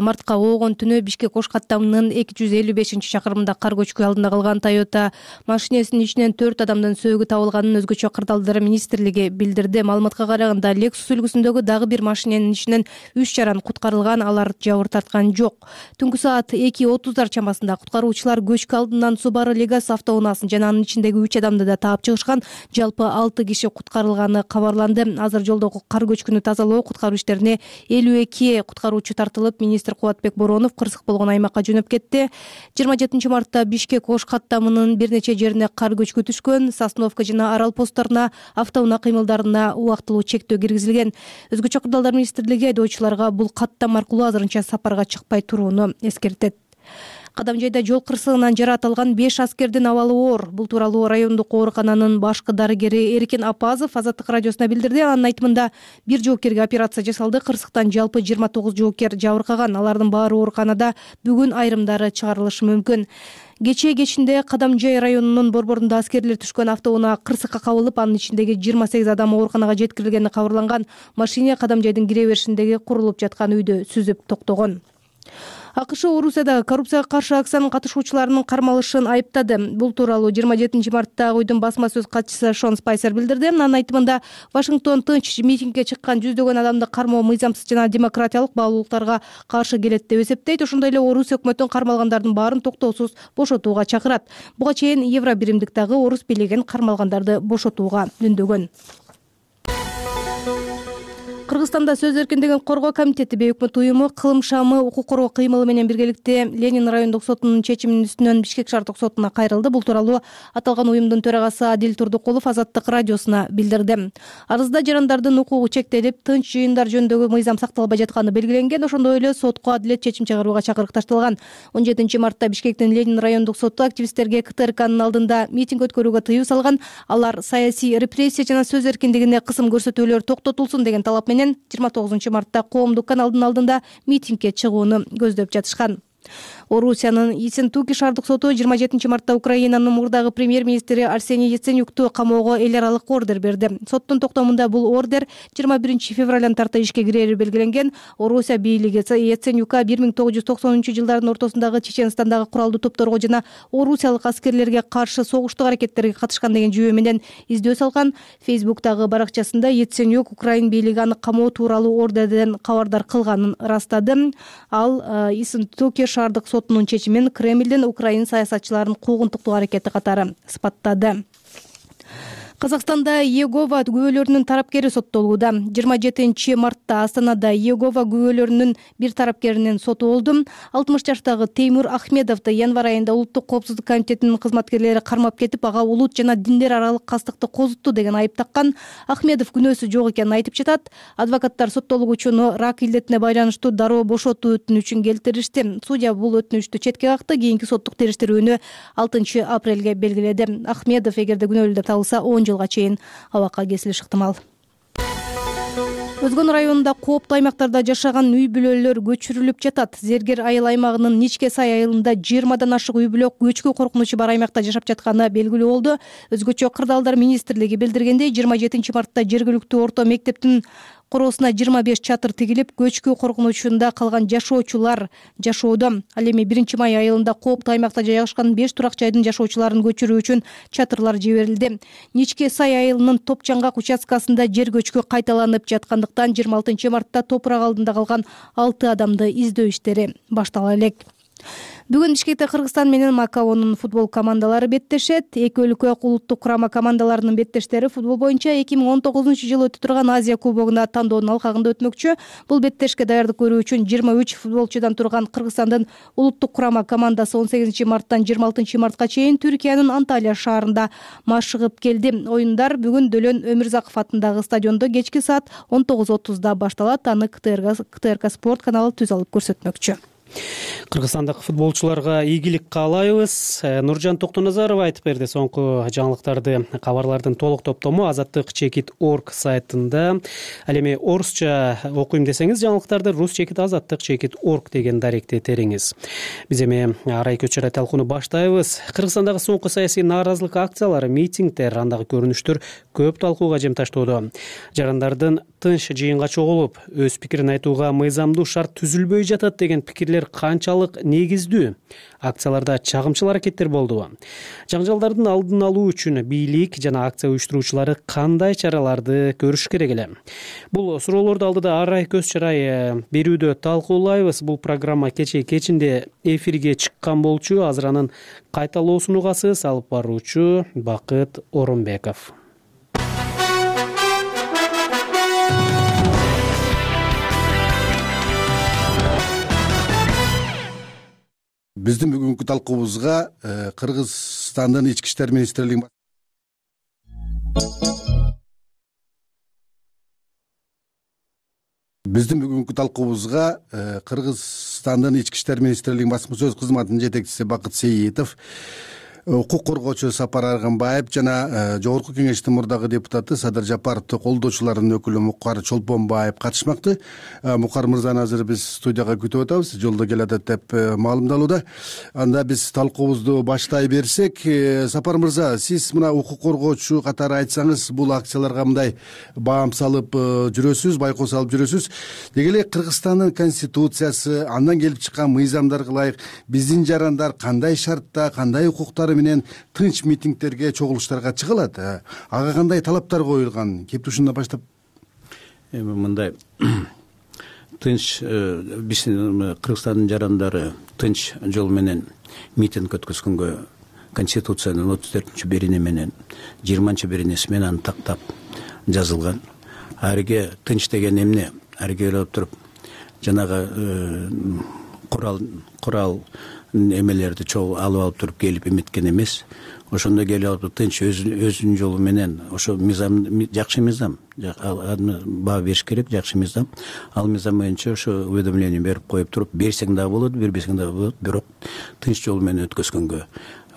мартка оогон түнү Бишкек ош каттамынын 255-чакырымында кар көчкү алдында калган Toyota машинесинин ичинен 4 адамдын сөөгү табылганын өзгөчө кырдаалдар министрлиги билдирди. Маалыматка караганда Lexus үлгүсүндөгү дагы бир машиненин ичинен 3 жаран куткарылган, алар жабыр тарткан жок. Түнкү саат 2:30 чамасында куткаруучулар көчкү алдынан Subaru Legacy автоунаасын жана анын ичиндеги 3 адамды да таап чыгышкан. Жалпы 6 киши куткарылганы кабарланды. Азыр жолдогу кар көчкүнү тазалоо, куткаруу иштерине 52 куткаруучу тартылып, министр Кубатбек Боронов кырсык болгон аймакка жөнөп кетти. 27 мартта Бишкек ош каттамынын бир нече жерине кар көчкү түшкөн. Сосновка жана Арал постторуна автоунаа кыймылдарына убактылуу чектөө киргизилген. Өзгөчө кырдаалдар министрлиги айдоочуларга бул каттам аркылуу азырынча сапарга чыкпай турууну эскертет. Кадамжайда жол кырсыгынан жаратылган 5 аскердин абалы оор. Бул тууралуу райондук оорукананын башкы дарыгери Эркин Апазов Азаттык радиосуна билдирди. Анын айтымында бир жоокерге операция жасалды. Кырсыктан жалпы 29 жоокер жабыркаган. Алардын баары ооруканада, бүгүн айрымдары чыгарылышы мүмкүн. Кечинде Кадамжай районунун борборунда аскерлер түшкөн автоунаа кырсыкка кабылып, анын ичиндеги 28 адам ооруканага жеткирилгени кабарланган. Машина Кадамжайдын кире беришиндеги курулуп жаткан үйдө сүзүп токтогон. АКШ Орусияда коррупцияга каршы акциянын катышуучуларынын кармалышын айыптады. Бул тууралуу 27 мартта уйдун басма сөз катчысы Шон Спайсер билдирди. Анын айтымында Вашингтон тынч митингге чыккан жүздөгөн адамды кармоо мыйзамсыз жана демократиялык баалуулуктарга каршы келет деп эсептейт. Ошондой эле Орусия өкмөтүн кармалгандардын баарын токтоосуз бошотууга чакырат. Буга чейин Евро биримдик дагы орус бийлигин кармалгандарды бошотууга үндөгөн. Кыргызстанда сөз эркиндигин коргоо комитети бейөкмөт уюму кылым шамы укук коргоо кыймылы менен биргеликте Ленин райондук сотунун чечиминин үстүнөн Бишкек шаардык сотуна кайрылды. Бул тууралуу аталган уюмдун төрагасы Адил Турдукулов Азаттык радиосуна билдирди. Арызда жарандардын укугу чектелип, тынч жыйындар жөнүндөгү мыйзам сакталбай жатканы белгиленген. Ошондой эле сотко адилет чечим чыгарууга чакырык ташталган. 17 мартта Бишкектин Ленин райондук соту активисттерге КТРКнын алдында митинг өткөрүүгө тыюу салган. Алар саясий репрессия жана сөз эркиндигине кысым көрсөтүүлөр токтотулсун деген талап менен 29 мартта коомдук каналдын алдында митингге чыгууну көздөп жатышкан. Орусиянын Ессентуки шаардык соту 27 мартта Украинанын мурдагы премьер-министри Арсений Яценюкту камоого эл аралык ордер берди. Соттун токтомунда бул ордер 21 февралдан тарта ишке кирери белгиленген. Орусия бийлиги Яценюка 1990-жылдардын ортосундагы Чеченстандагы куралдуу топторго жана орусиялык аскерлерге каршы согуштук аракеттерге катышкан деген жүйө менен издөө салган. Фейсбуктагы баракчасында Яценюк Украин бийлиги аны камоо тууралуу ордерден кабардар кылганын ырастады. Ал Ессентуки шаардык сотунун чечимин Кремлдин Украин саясатчыларын куугунтуктоо аракети катары сыпаттады. Казакстанда Иегова күбөлөрүнүн тарапкери соттолууда. 27 мартта Астанада Иегова күбөлөрүнүн бир тарапкеринин соту болду. 60 жаштагы Теймур Ахмедовду январь айында Улуттук коопсуздук комитетинин кызматкерлери кармап кетип, ага улут жана диндер аралык кастыкты козутту деген айып таккан. Ахмедов күнөөсү жок экенин айтып жатат. Адвокаттар соттолугучуну рак илдетине байланыштуу дароо бошотуу өтүнүчүн келтиришти. Судья бул өтүнүчтү четке какты. Кийинки соттук териштирүүнү 6 апрелге белгиледи. Ахмедов эгерде күнөөлүү деп табылса 10 жылга чейин абакка кесилиш ыктымал. Өзгөн районунда кооптуу аймактарда жашаган үй бүлөлөр көчүрүлүп жатат. Зергер айыл аймагынын Ничке сай айылында 20дан ашык үй бүлө көчкү коркунучу бар аймакта жашап жатканы белгилүү болду. Өзгөчө Кырдаалдар министрлиги билдиргендей, 27 мартта жергиликтүү орто мектептин короосуна 25 чатыр тигилип, көчкү коркунучунда калган жашоочулар жашоодо. Ал эми 1 май айылында кооптуу аймакта жайгашкан 5 турак жайдын жашоочуларын көчүрүү үчүн чатырлар жиберилди. Ничке сай айылынын Топчаңгак участкасында жер көчкү кайталанып жаткандыктан 26 мартта топурак алдында калган 6 адамды издөө иштери баштала элек. Бүгүн Бишкекте Кыргызстан менен Макаонун футбол командалары беттешет. Эки өлкө улуттук курама командаларынын беттештери футбол боюнча 2019-жылы өтүп турган Азия кубогуна тандоонун алкагында өтмөкчү. Бул беттешке даярдык көрүү үчүн 23 футболчудан турган Кыргызстандын улуттук курама командасы 18 марттан 26 мартка чейин Түркиянын Анталия шаарында машыгып келди. Оюндар бүгүн Дөлөн Өмүрзаков атындагы стадиондо кечки саат 19:30 башталат. Аны КТРК спорт каналы түз алып көрсөтмөкчү. Кыргызстандык футболчуларга ийгилик каалайбыз. Нуржан Токтоназарова айтып берди. Соңку жаңылыктарды, кабарлардын толук топтому azattik.org сайтында. Ал эми орусча окуйм десеңиз жаңылыктарды rus.azattik.org деген даректе териңиз. Биз эми арай көчөрө талкууну баштайбыз. Кыргызстандагы соңку саясий нааразылык акциялары, митингдер, андагы көрүнүштөр көп талкууга жемташтоодо. Жарандардын тынч жыйынга чогулуп, өз пикирин айтууга мыйзамдуу шарт түзүлбөй жатат деген пикирлер канчалык негиздүү? Акцияларда чагымчыл аракеттер болдубу? Жаңжалдардын алдын алуу үчүн бийлик жана акция уюштуруучулары кандай чараларды көрүш керек эле? Бул суроолорду алдыда арай көз чарай берүүдө талкуулайбыз. Бул программа кечинде эфирге чыккан болчу. Азыр анын кайталоосун угасыз. Алып баруучу Бакыт Оронбеков. Биздин бүгүнкү талкуубузга Кыргызстандын ички иштер министрлигинин басма сөз кызматынын жетекчиси Бакыт Сейитов, укук коргоочу Сапар Арганбаев жана Жогорку Кеңештин мурдагы депутаты Садыр Жапаровду колдоочуларынын өкүлү Мукар Чолпонбаев катышмакты. Мукар мырзаны азыр биз студияга күтүп атабыз, жолдо келатат деп маалымдалууда. Анда биз талкуубузду баштай берсек, Сапар мырза, сиз мына укук коргоочу катары айтсаңыз, бул акцияларга мындай баам салып жүрөсүз, байкоо салып жүрөсүз. Деги эле Кыргызстандын конституциясы, андан келип чыккан мыйзамдарга ылайык биздин жарандар кандай шартта, кандай укуктары менен тынч митингдерге, чогулуштарга чыга алат? Ага кандай талаптар коюлган? Кеп ушундан баштап. Эми мындай тынч биздин Кыргызстандын жарандары тынч жол менен митинг өткөзгөнгө Конституциянын 34-берене менен 20-беренеси менен аны тактап жазылган. Ариге тынч деген эмне? Ариге келип туруп жанагы курал эмелерди чогуу алып туруп келип эметкен эмес. Ошондо келип алып тынч өзүнүн жолу менен ошо мыйзам, жакшы мыйзам, баа бериш керек, жакшы мыйзам. Ал мыйзам боюнча ошо уведомление берип коюп туруп, берсең дагы болот, бербесең дагы болот, бирок тынч жол менен өткөзгөнгө.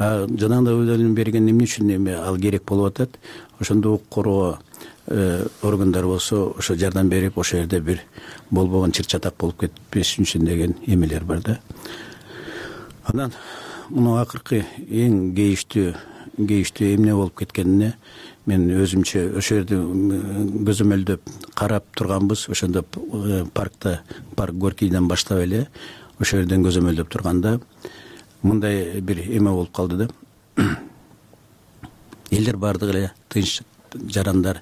Жанагындай уведомление берген эмне үчүн ал керек болуп атат? Ошондо укук коргоо органдар болсо ошо жардам берип, ошол жерде бир болбогон чыр-чатак болуп кетпеш үчүн деген эмелер бар да. Анан муну акыркы эң кейиштүү эмне болуп кеткенине мен өзүмчө ошол жерде көзөмөлдөп карап турганбыз. Ошондо парк Горкийден баштап эле ошол жерден көзөмөлдөп турганда мындай бир эме болуп калды да. Элдер бардыгы эле тынч жарандар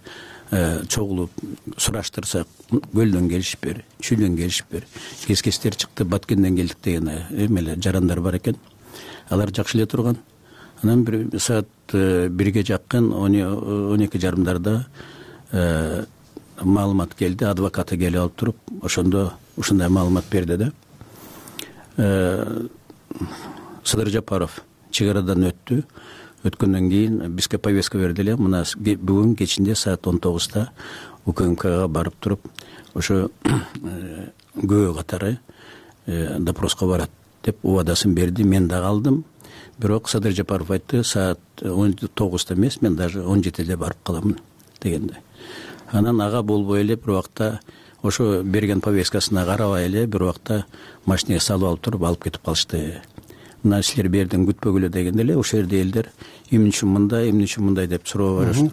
чогулуп сураштырсак, көлдөн келишиптир, чүлдөн келишиптир, кескестер чыкты, Баткенден келдик деген эмелер жарандар бар экен. Алар жакшы эле турган. Анан бир саат бирге жакын 12:30 маалымат келди, адвокаты келип алып туруп, ошондо ушундай маалымат берди да. Садыр Жапаров чек арадан өттү. Өткөндөн кийин бизге повестка берди эле. Мына бүгүн кечинде саат 19-да УКМКга барып туруп, ошо күбө катары допроска барат деп убадасын берди. Мен да калдым. Бирок Садыр Жапаров айтты, саат 19-да эмес, мен даже 17-де барып каламын дегенде. Анан ага болбой эле бир убакта ошо берген повесткасына карабай эле бир убакта машинеге салып алып туруп алып кетип калышты. Мына силер берден күтпөгүлө дегенде эле ошол жерде элдер эмне үчүн мындай деп суроо барышып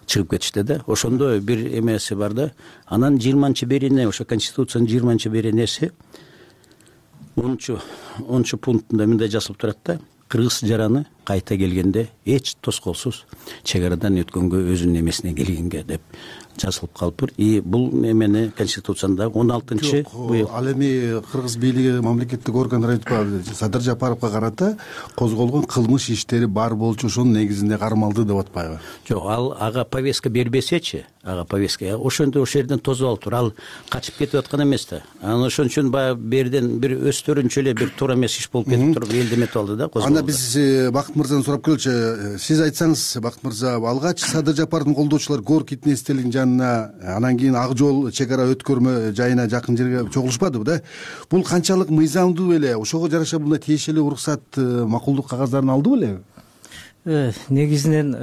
чыгып кетишти да. Ошондо бир эмеси бар да. Анан 20-берене, ошо Конституциянын 20-беренеси 10 пунктунда мындай жазылып турат да. Кыргыз жараны кайта келгенде эч тоскоолсуз чек арадан өткөнгө, өзүнүн эмесине келгенге деп жазылып калыптыр. И бул эмени Конституцияда 16-быйыл. Ал эми кыргыз бийлиги, мамлекеттик органдар айтпады, Садыр Жапаровго карата козголгон кылмыш иштери бар болчу, ошонун негизинде кармалды деп атпайбы? Жок, ага повестка бербесечи, повестка ошондо ошол жерден тосуп алып тур. Ал качып кетип аткан эмес да. Анан ошон үчүн баягы берден бир өстөрүнчө эле бир туура эмес иш болуп кетип туруп элдеметип алды да. Анда биз Бакыт мырзаны сурап келчү. Сиз айтсаңыз, Бакыт мырза, алгач Садыр Жапаровдун колдоочулары Горкийдин эстелигинин жанына, анан кийин Ак жол чек ара өткөрмө жайына жакын жерге чогулушпадыбы да? Бул канчалык мыйзамдуу эле? Ошого жараша мындай тиешелүү уруксат, макулдук кагаздарын алдыбы эле? Негизинен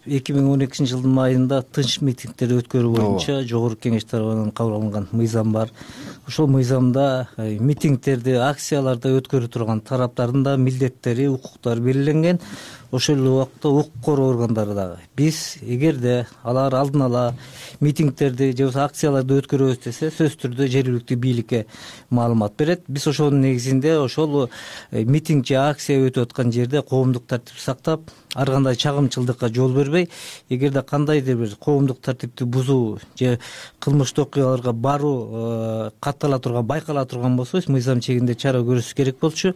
2012-жылдын майында тынч митингдер өткөрүү боюнча Жогорку Кеңеш тарабынан кабыл алынган мыйзам бар. Ошол мыйзамда митингдерди, акцияларды өткөрүп турган тараптардын да милдеттери, укуктары белгиленген. Ошол эле убакта укук коргоо органдары дагы. Биз эгерде алар алдын ала митингдерди же болбосо акцияларды өткөрөбүз десе, сөзсүз түрдө жергиликтүү бийликке маалымат берет. Биз ошонун негизинде ошол митинг же акция өтүп аткан жерде коомдук тартипти сактап, ар кандай чагымчылдыкка жол бербей, эгерде кандайдыр бир коомдук тартипти бузуу же кылмыштуу окуяларга баруу каттала турган, байкала турган болсо, мыйзам чегинде чара көрүшүш керек болчу.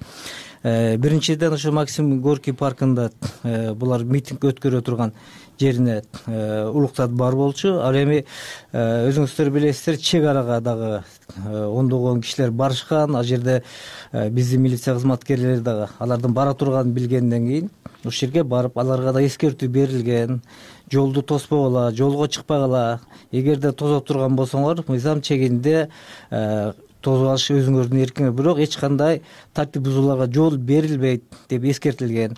Биринчиден ошо Максим Горький паркында булар митинг өткөрө турган жерине улуктат бар болчу. Ал эми өзүңүздөр билесиздер, чек арага дагы ондогон кишилер барышкан. Ал жерде биздин милиция кызматкерлери дагы алардын бара турганын билгенден кийин ошол жерге барып, аларга да эскертүү берилген. Жолду тоспогула, жолго чыкпагыла. Эгерде тосоп турган болсоңор, мыйзам чегинде тосуп алыш өзүңөрдүн эркиңер, бирок эч кандай тартип бузууларга жол берилбейт деп эскертилген.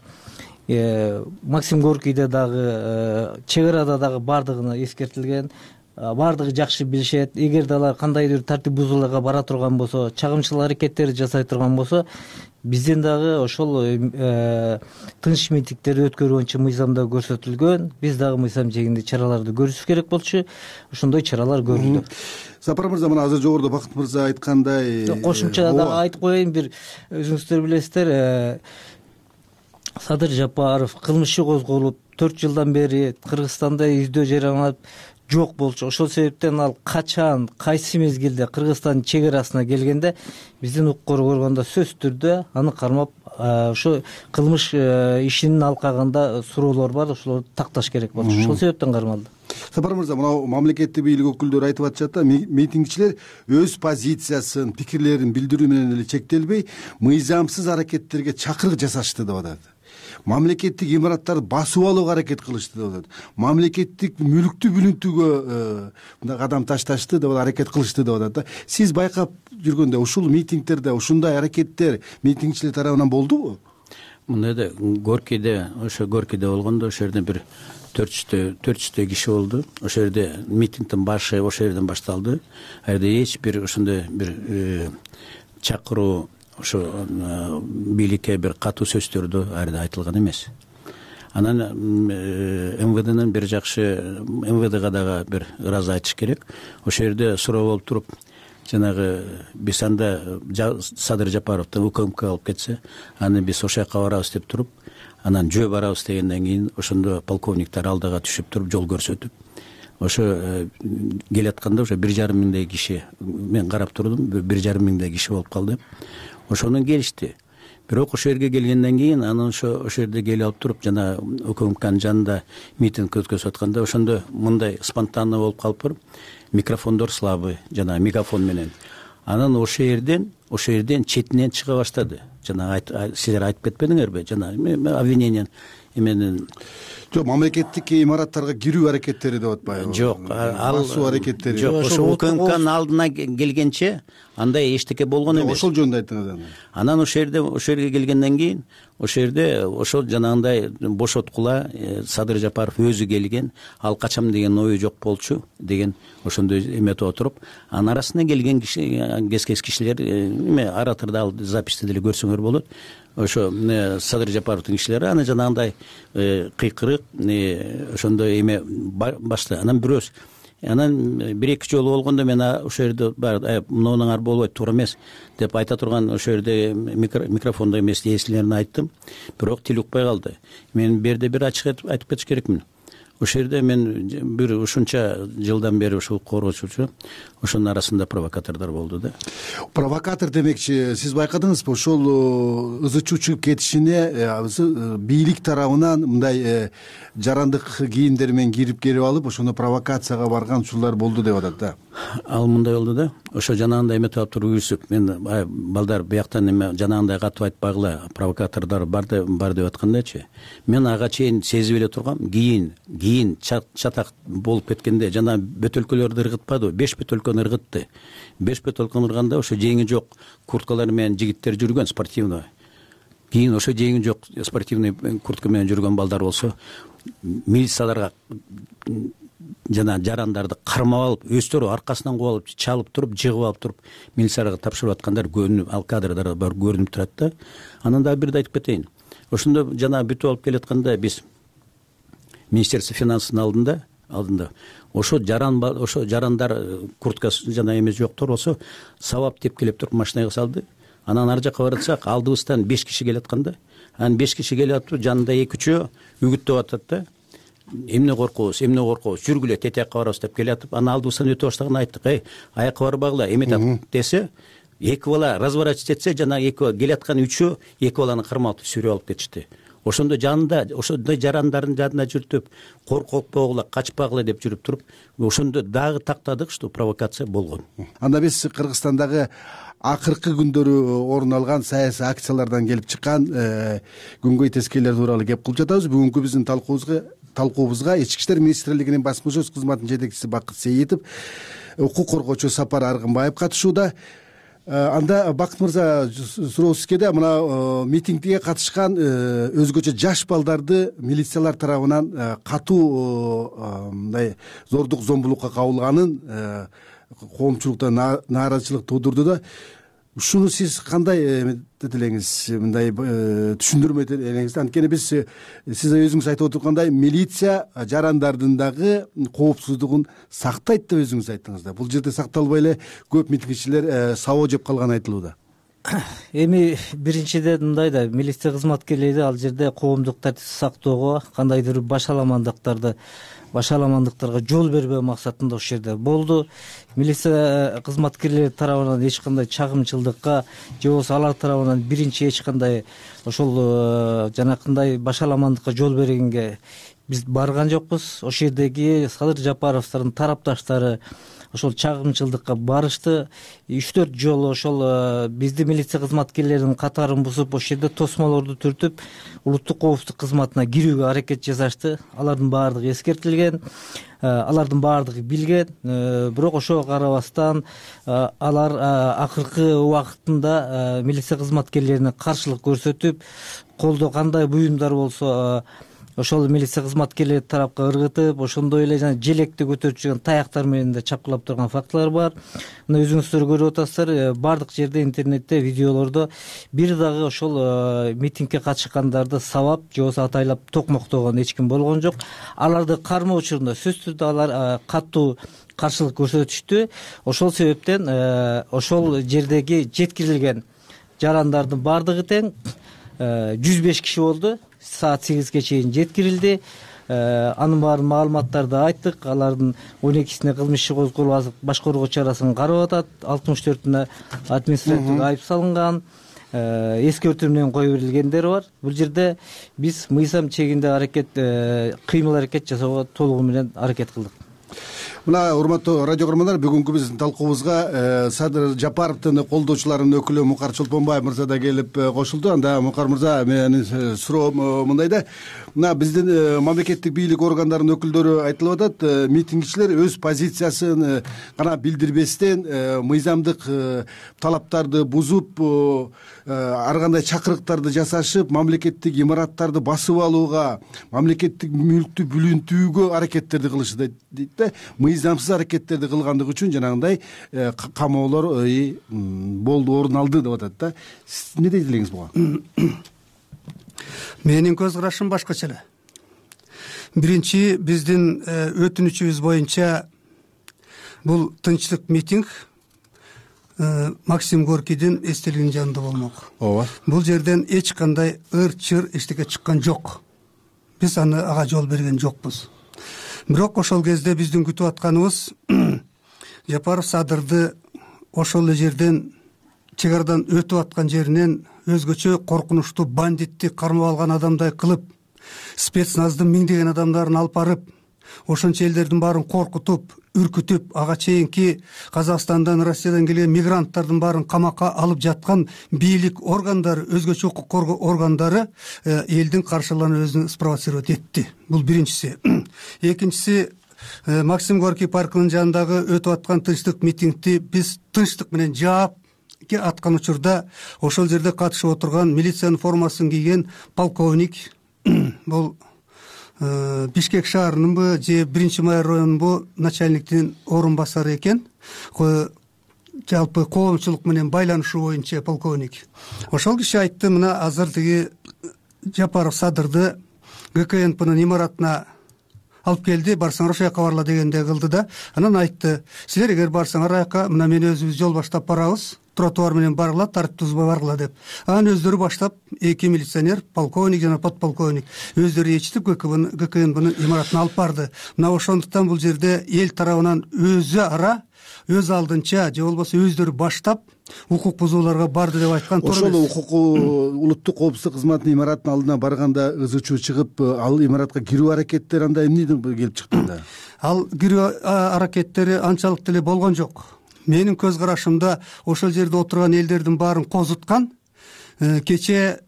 Максим Горкийде дагы, чек арада дагы бардыгына эскертилген. Бардыгы жакшы билишет. Эгерде алар кандайдыр тартип бузууларга бара турган болсо, чагымчылык аракеттерди жасай турган болсо, биздин дагы ошол тынч митингдерди өткөрүү боюнча мыйзамда көрсөтүлгөн. Биз дагы мыйзам чегинде чараларды көрүшүбүз керек болчу. Ошондой чаралар көрүлдү. Сапар мырза, мына азыр жогоруда Бакыт мырза айткандай, кошумча дагы айтып коеюн, бир өзүңүздөр билесиздер, Садыр Жапаров кылмышы козголуп 4 жылдан бери Кыргызстанда издөө жарыяланып жок болчу. Ошол себептен ал качан, кайсы мезгилде Кыргызстандын чек арасына келгенде биздин укук коргоо органда сөзсүз түрдө аны кармап, ошо кылмыш ишинин алкагында суроолор бар, ошолорду такташ керек болчу. Ошол себептен кармалды. Сапар мырза, мына мамлекеттик бийлик өкүлдөрү айтып атышат да, митингчилер өз позициясын, пикирлерин билдирүү менен эле чектелбей, мыйзамсыз аракеттерге чакырык жасашты деп атат. Мамлекеттик имараттарды басып алууга аракет кылышты деп атат. Мамлекеттик мүлктү бүлүнтүүгө мындай кадам ташташты деп аракет кылышты деп атат да. Сиз байкап жүргөндө ушул митингдерде ушундай аракеттер митингчилер тарабынан болдубу? Мындай да, Горкийде болгондо ошол жерде бир 400 киши болду. Ошол жерде митингдин башы ошол жерден башталды. Ал жерде эч бир ошондой бир чакыруу, ошо бийликке бир катуу сөздөрдү ал жерде айтылган эмес. Анан МВДнын бир жакшы, МВДга дагы бир ыраазы айтыш керек. Ошол жерде суроо болуп туруп, жанагы биз анда Садыр Жапаровду УКМК алып кетсе, аны биз ошол жака барабыз деп туруп, анан жөө барабыз дегенден кийин ошондо полковниктер алдыга түшүп туруп жол көрсөтүп, ошо келатканда ошо 1,5 миңдей киши, мен карап турдум, 1,5 миңдей киши болуп калды. Ошондон келишти. бирок ошол жерге келгенден кийин анан ошол жерде келип алып туруп жана УКМКнын жанында митинг өткөзүп атканда ошондо мындай спонтанно болуп калып микрофондор слабый, жана мегафон менен. Анан ошол жерден четинен чыга баштады. Жана силер айтып кетпедиңерби? Жана обвинение менен жок, мамлекеттик имараттарга кирүү аракеттери деп атпайбы? Жок, басуу аракеттери. Жок, ошол УКМКнын алдына келгенче андай эчтеке болгон эмес. Ошол жөнүндө айтыңыз. Анан ошол жерге келгенден кийин ошол жерде ошол жанагындай бошоткула Садыр Жапаров өзү келген, ал качам деген ою жок болчу деген ошондой эметип отуруп, анын арасына келген кез кишилер оратордо ал записьти деле көрсөңөр болот. Ошо Садыр Жапаровдун кишилери аны жанагындай кыйкырык ошондой эме баштады. Анан бирөөс анан 1-2 жолу болгондо мен ошол жерде мынуңар болбойт, туура эмес деп айта турган ошол жерде микрофондо эмес эсилерин айттым. Бирок тил укпай калды. Мен бир ачык айтып кетиш керекмин. Ошол жерде мен бир ушунча жылдан бери ушул коргоочу, ошонун арасында провокатордор болду да. Провокатор демекчи, сиз байкадыңызбы, ошол ызы чуу чыгып кетишине бийлик тарабынан мындай жарандык кийимдер менен кирип алып, ошону провокацияга барган учурлар болду деп атат да. Ал мындай болду да. Ошо жанагындай эметип алып туруп үйрүсүп, мен балдар бияктан эме жанагындай катып айтпагыла, провокатордор бар деп аткандачы. Мен ага чейин сезип эле тургам, кийин чатак болуп кеткенде жана бөтөлкөлөрдү ыргытпады, 5 бөтөлкөнү ыргытты. 5 бөтөлкөнү ырганда ошо жеңи жок курткалар менен жигиттер жүргөн спортивный. Кийин ошо жеңи жок спортивный куртка менен жүргөн балдар болсо, милицияларга жана жарандарды кармап алып, өздөрү аркасынан куып алып, чалып туруп, жыгып алып туруп, милицияларга тапшырып аткандар көрүнүп, ал кадрдар бар көрүнүп турат да. Анан дагы бирди айтып кетейин. Ошондо жана бүтүп алып келатканда биз Министерство финансынын алдында ошо жарандар курткасы жана эмес жоктор болсо сабап деп келип туруп машинага салды. Анан ар жакка баратсак, алдыбыздан 5 киши келатканда, анан 5 киши келип туруп, жанында 2-3 үгүттөп атат да. Эмне коркобуз, жүргүлө тетиякка барабыз деп келатып, анан алдыбыздан өтө баштаган айттык, аякка барбагыла, эметип десе, 2 бала разворачивать этсе, жана 2 келаткан 3-өө 2 баланы кармап сүйрөп алып кетишти. Ошондо жанында, ошондой жарандардын жанында жүрүп, коркпогула, качпагыла деп жүрүп туруп, ошондо дагы тактадык, что провокация болгон. Анда биз Кыргызстандагы акыркы күндөрү орун алган саясий акциялардан келип чыккан күнгөй тескейлер тууралуу кеп кылып жатабыз. Бүгүнкү биздин талкуубузга Ички иштер министрлигинин басмашөз кызматынын жетекчиси Бакыт Сейитов, укук коргоочу Сапар Аргынбаев катышууда. Анда Бакыт мырза, суроо сизге да, мына митингге катышкан өзгөчө жаш балдарды милициялар тарабынан катуу мындай зордук зомбулукка кабылганын коомчулукта нааразычылык туудурду да. Ушуну сиз кандай элеңиз, мындай түшүндүрмө элеңиз? Анткени биз сиз өзүңүз айтып отургандай милиция жарандардын дагы коопсуздугун сактайт деп өзүңүз айттыңыз да. Бул жерде сакталбай эле көп митингчилер сабоо жеп калганы айтылууда. Эми биринчиден мындай да, милиция кызматкерлери ал жерде коомдук тартипти сактоого, кандайдыр башаламандыктарга жол бербөө максатында ошол жерде болду. Милиция кызматкерлери тарабынан эч кандай чагымчылдыкка же болбосо алар тарабынан биринчи эч кандай ошол жанакындай башаламандыкка жол бергенге биз барган жокпуз. Ошол жердеги Садыр Жапаровдун тарапташтары ошол чагымчылдыкка барышты. 3-4 жолу ошол биздин милиция кызматкерлеринин катарын бузуп, ошол жерде тосмолорду түртүп, улуттук коопсуздук кызматына кирүүгө аракет жасашты. Алардын баардыгы эскертилген, алардын баардыгы билген. Бирок ошого карабастан алар акыркы убакытында милиция кызматкерлерине каршылык көрсөтүп, колдо кандай буюмдар болсо ошол милиция кызматкерлери тарапка ыргытып, ошондой эле жана желекти көтөрүп жүргөн таяктар менен да чапкылап турган фактылар бар. Мына өзүңүздөр көрүп атасыздар, бардык жерде интернетте, видеолордо бир дагы ошол митингге катышкандарды сабап же болбосо атайлап токмоктогон эч ким болгон жок. Аларды кармоо учурунда сөзсүз түрдө алар катуу каршылык көрсөтүштү. Ошол себептен ошол жердеги жеткирилген жарандардын баардыгы тең 105 киши болду. Саат 8ге чейин жеткирилди. Анын баарын маалыматтарды айттык. Алардын 12сине кылмыш иши козголуп, баш коргоо чарасын карап атат. 64-үнө административдик айып салынган. эскертүү менен кое берилгендери бар. Бул жерде биз мыйзам чегинде кыймыл аракет жасоого толугу менен аракет кылдык. Мына урматтуу радио көрөрмандар, бүгүнкү биздин талкуубузга Садыр Жапаровдун колдоочуларынын өкүлү Мукар Чолпонбаев мырза да келип кошулду. Анда Мукар мырза, менин суроом мындай да, мына биздин мамлекеттик бийлик органдарынын өкүлдөрү айтылып атат, митингчилер өз позициясын гана билдирбестен мыйзамдык талаптарды бузуп, ар кандай чакырыктарды жасашып, мамлекеттик имараттарды басып алууга, мамлекеттик мүлктү бүлүнтүүгө аракеттерди кылышты дейт да. Мыйзамсыз аракеттерди кылгандыгы үчүн жанагындай камоолор болду, орун алды деп атат да. Сиз эмне дейт элеңиз буга? Менин көз карашым башкача эле. Биринчи, биздин өтүнүчүбүз боюнча бул тынчтык митинг Максим Горкийдин эстелигинин жанында болмок. Ооба. Бул жерден эч кандай ыр-чыр эчтеке чыккан жок. Биз ага жол берген жокпуз. Бирок ошол кезде биздин күтүп атканыбыз Жапаров Садырды ошол эле жерден, чек арадан өтүп аткан жеринен өзгөчө коркунучтуу бандитти кармап алган адамдай кылып, спецназдын миңдеген адамдарын алып барып, ошончо элдердин баарын коркутуп, үркүтүп, ага чейинки Казакстандан, Россиядан келген мигранттардын баарын камакка алып жаткан бийлик органдары, өзгөчө укук коргоо органдары элдин каршылыгын өзүн спровоцировать этти. Бул биринчиси. Экинчиси, Максим Горький паркынын жанындагы өтүп аткан тынчтык митингди биз тынчтык менен жаап аткан учурда ошол жерде катышып отурган милициянын формасын кийген полковник, бул Бишкек шаарынынбы же 1-май районунбу начальниктин орун басары экен. Жалпы коомчулук менен байланышуу боюнча полковник. Ошол киши айтты, мына азыр тиги Жапаров Садырды ГКНПнын имаратына алып келди, барсаңар ошол жака барла дегенде кылды да. Анан айтты, силер эгер барсаңар аяка, мына мен өзүбүз жол баштап барабыз, тротуар менен баргыла, тартип бузбай баргыла деп. Анан өздөрү баштап, эки милиционер, полковник жана подполковник өздөрү ээрчитип ГКНПнын имаратына алып барды. Мына ошондуктан бул жерде эл тарабынан өзү ара, өз алдынча же болбосо өздөрү баштап укук бузууларга барды деп айткан туура эмес. Ошол улуттук коопсуздук кызматынын имаратынын алдына барганда ызы чуу чыгып, ал имаратка кирүү аракеттери анда эмнеден келип чыкты да? Ал кирүү аракеттери анчалык деле болгон жок. Менин көз карашымда ошол жерде отурган элдердин баарын козуткан. Кече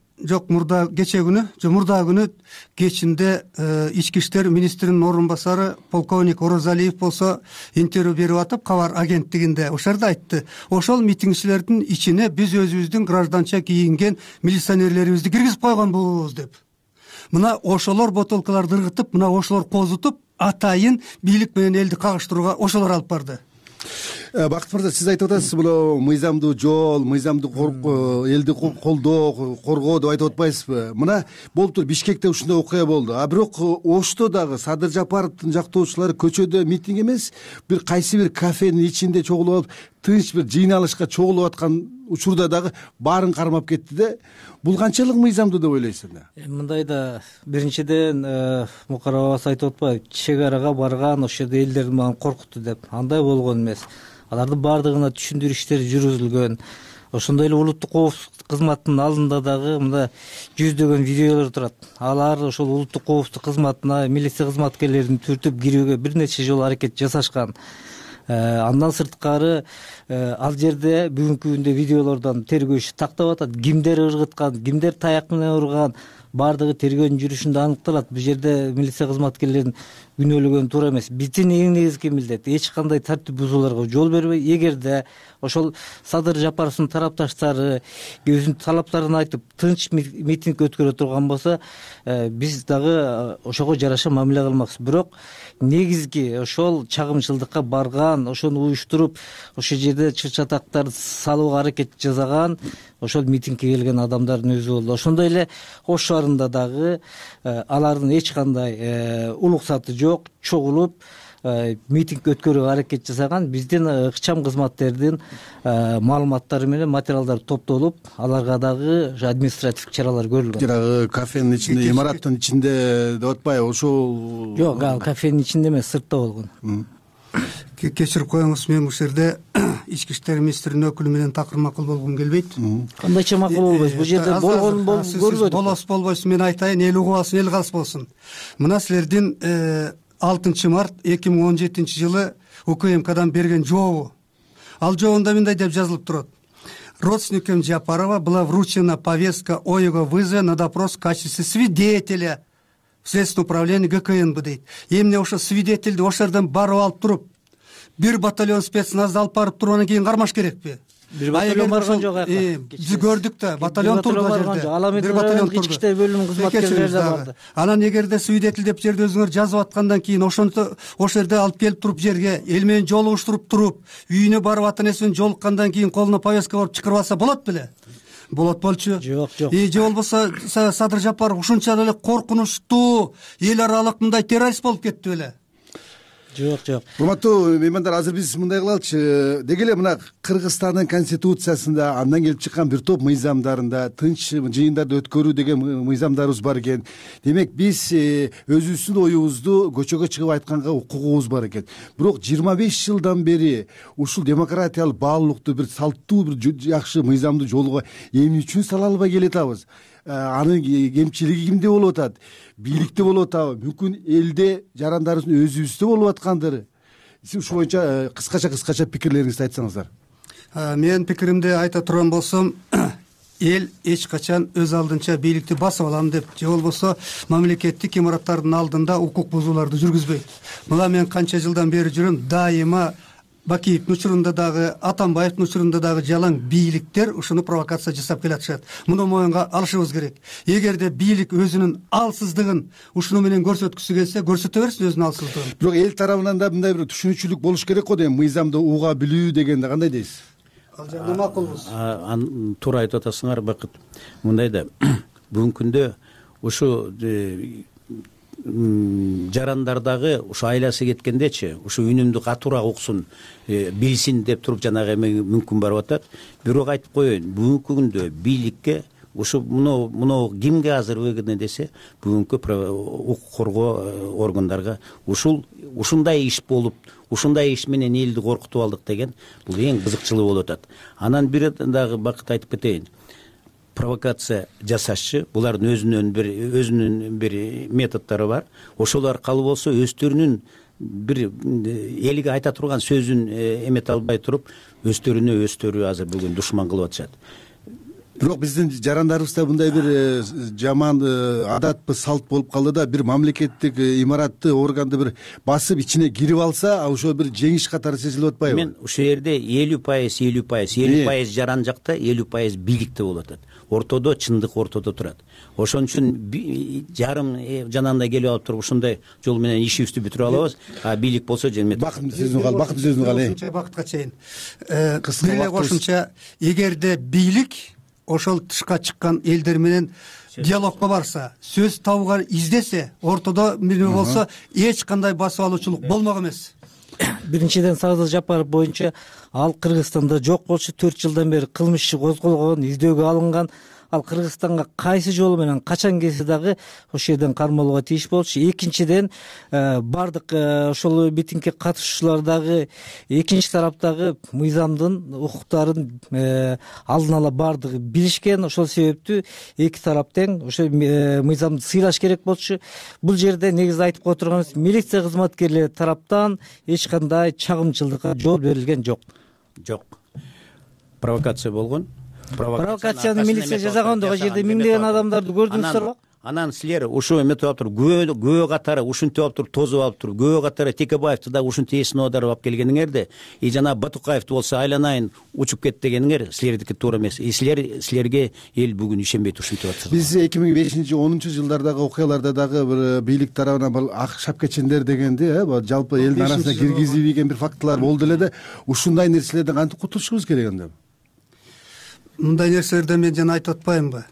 мурда күнү кечинде ички иштер министринин орун басары полковник Орозалиев болсо интервью берип атып, кабар агенттигинде ошол жерде айтты, ошол митингчилердин ичине биз өзүбүздүн гражданча кийинген милиционерлерибизди киргизип койгонбуз деп. Мына ошолор бутылкаларды ыргытып, мына ошолор козутуп, атайын бийлик менен элди кагыштырууга ошолор алып барды. Бакыт мырза, сиз айтып атасыз, бул мыйзамдуу жол, мыйзамдуу элди колдоо, коргоо деп айтып атпайсызбы? Мына болуптур, Бишкекте ушундай окуя болду. А бирок Ошто дагы Садыр Жапаровдун жактоочулары көчөдө митинг эмес, бир кайсы бир кафенин ичинде чогулуп алып, тынч бир жыйналышка чогулуп аткан учурда дагы баарын кармап кетти да. Бул канчалык мыйзамдуу деп ойлойсуз? Мындай да, биринчиден Мукар абабыз айтып атпайбы, чек арага барган, ошол жерде элдердин баарын коркутту деп. Андай болгон эмес. Алардын баардыгына түшүндүрүү иштери жүргүзүлгөн. Ошондой эле улуттук коопсуздук кызматынын алдында дагы мында жүздөгөн видеолор турат. Алар ошол улуттук коопсуздук кызматына милиция кызматкерлерин түртүп кирүүгө бир нече жолу аракет жасашкан. Андан сырткары ал жерде бүгүнкү күндө видеолордон тергөө иши тактап атат. Кимдер ыргыткан, кимдер таяк менен урган, баардыгы тергөөнүн жүрүшүндө аныкталат. Бул жерде милиция кызматкерлерин күнөөлөгөн туура эмес. Биздин эң негизги милдет эч кандай тартип бузууларга жол бербей, эгерде ошол Садыр Жапаровдун тарапташтары өзүнүн талаптарын айтып тынч митинг өткөрө турган болсо, биз дагы ошого жараша мамиле кылмакчыбыз. Бирок негизги ошол чагымчылдыкка барган, ошону уюштуруп, ошол жерде чыр-чатактарды салууга аракет жасаган ошол митингге келген адамдардын өзү болду. Ошондой эле Ош шаарында дагы алардын эч кандай уруксаты жок, чогулуп митинг өткөрүүгө аракет жасаган. Биздин ыкчам кызматтердин маалыматтары менен материалдар топтолуп, аларга дагы административдик чаралар көрүлгөн. Жанагы кафенин ичинде, имараттын ичинде деп атпайбы? Ошол жок, ал кафенин ичинде эмес, сыртта болгон. кечирип коюңуз, мен ушул жерде ички иштер министринин өкүлү менен такыр макул болгум келбейт. Кандайча макул болбойсуз? Бул жерде болгон көрбөдүк. Болосуз болбойсуз, мен айтайын, эл угубасын, эл калыс болсун. Мына силердин 6 март 2017 жылы УКМКдан берген жообу. Ал жообунда мындай деп жазылып турат: родственникам Жапарова была вручена повестка о его вызове на допрос в качестве свидетеля в Следственное управление ГКНБ дейт. Эмне ошо свидетельди ошол жерден барып алып туруп, бир батальон спецназды алып барып туруп анан кийин кармаш керекпи? Бир батальон барган жок аяка. Биз көрдүк да, батальон турду жерде. Бир батальон ички иштер бөлүмүнүн кызматкерлери да барды. Анан эгерде свидетель деп жерде өзүңөр жазып аткандан кийин ошол жерде алып келип туруп жерге эл менен жолугуштуруп туруп, үйүнө барып ата энеси менен жолуккандан кийин колуна повестка барып чакырып алса болот беле? Болот болчу. Жок. Же болбосо Садыр Жапаров ушунча эле коркунучтуу эл аралык мындай террорист болуп кетти беле? Жок. Урматтуу меймандар, азыр биз мындай кылалычы. Деги эле мына Кыргызстандын конституциясында андан келип чыккан бир топ мыйзамдарында тынч жыйындарды өткөрүү деген мыйзамдарыбыз бар экен. Демек биз өзүбүздүн оюбузду көчөгө чыгып айтканга укугубуз бар экен. Бирок 25 жылдан бери ушул демократиялык баалуулукту бир салттуу бир жакшы мыйзамдуу жолго эмне үчүн сала албай келатабыз? Анын кемчилиги кимде болуп атат? Бийликте болуп атабы? Мүмкүн элде жарандарыбыздын өзүбүздө болуп аткандыры? Сиз ушул боюнча кыскача пикирлериңизди айтсаңыздар. Мен пикиримди айта турган болсом, эл эч качан өз алдынча бийликти басып алам деп, же болбосо мамлекеттик имараттардын алдында укук бузууларды жүргүзбөйт. Мына мен канча жылдан бери жүрөм, дайыма Бакиевдин учурунда дагы, Атамбаевдин учурунда дагы жалаң бийликтер ушуну провокация жасап келатышат. Муну моюнга алышыбыз керек. Эгерде бийлик өзүнүн алсыздыгын ушуну менен көрсөткүсү келсе, көрсөтө берсин өзүнүн алсыздыгын. Бирок эл тарабынан да мындай бир түшүнүкчүлүк болуш керек го дейм. Мыйзамды уга билүү дегенде кандай дейсиз? Ал жерде макулбуз. Туура айтып атасыңар, Бакыт. Мындай да бүгүнкү күндө ушу жарандардагы ушу айласы кеткендечи, ушу үнүмдү катуураак уксун, билсин деп туруп жанагы мүмкүн барып атат. Бирок айтып коеюн, бүгүнкү күндө бийликке ушу муну кимге азыр выгодно десе, бүгүнкү укук коргоо органдарга ушундай иш болуп, ушундай иш менен элди коркутуп алдык деген бул эң кызыкчылыгы болуп атат. Анан бир дагы Бакыт айтып кетейин. Провокация жасашчы, булардын өзүнүн бир методдору бар. Ошол аркылуу болсо өздөрүнүн бир элге айта турган сөзүн эмете албай туруп, өздөрү азыр бүгүн душман кылып атышат. Бирок биздин жарандарыбызда мындай бир жаман адатпы, салт болуп калды да, бир мамлекеттик имаратты, органды бир басып ичине кирип алса, ошо бир жеңиш катары сезилип атпайбы? Мен ушул жерде 50% жаран жакта, 50% бийликте болуп атат. Ортодо чындык ортодо турат. Ошон үчүн жарым жанагындай келип алып туруп ушундай жол менен ишибизди бүтүрүп алабыз. Бийлик болсо Бакыт сөзүн кал. Бакытка чейин. Бир кошумча, эгерде бийлик ошол тышка чыккан элдер менен диалогко барса, сөз табууга издесе, ортодо эмне болсо, эч кандай басып алуучулук болмок эмес. Биринчиден, Садыр Жапаров боюнча ал Кыргызстанда жок болчу, 4 жылдан бери кылмыш иши козголгон, издөөгө алынган. Ал Кыргызстанга кайсы жолу менен качан келсе дагы ошол жерден кармалууга тийиш болчу. Экинчиден, бардык ошол митингге катышуучулар дагы экинчи тараптагы мыйзамдын укуктарын алдын ала бардыгы билишкен. Ошол себептүү эки тарап тең ошо мыйзамды сыйлаш керек болчу. Бул жерде негизи айтып кое турганыбыз, милиция кызматкерлери тараптан эч кандай чагымчылыкка жол берилген жок. Провокация болгон. Провокацияны милиция жасаган, ошол жерде миңдеген адамдарды көрдүңүздөрбү? Анан силер ушул эметип алып туруп, күбө катары ушинтип алып туруп, тозуп алып туруп, күбө катары Текебаевди да ушинтип эсине оодарып алып келгениңерде, жана Батукаевди болсо айланайын учуп кет дегениңер силердики туура эмес. Силерге эл бүгүн ишенбейт ушинтип атат. Биз 2005-10 жылдардагы окуяларда дагы бир бийлик тарабынан бул ак шапкачендер дегенди, жалпы элдин арасына киргизип ийген бир фактылар болду эле да, ушундай нерселерден кантип кутулушубуз керек анда? Мындай нерселерден мен жана айтып атпаймынбы?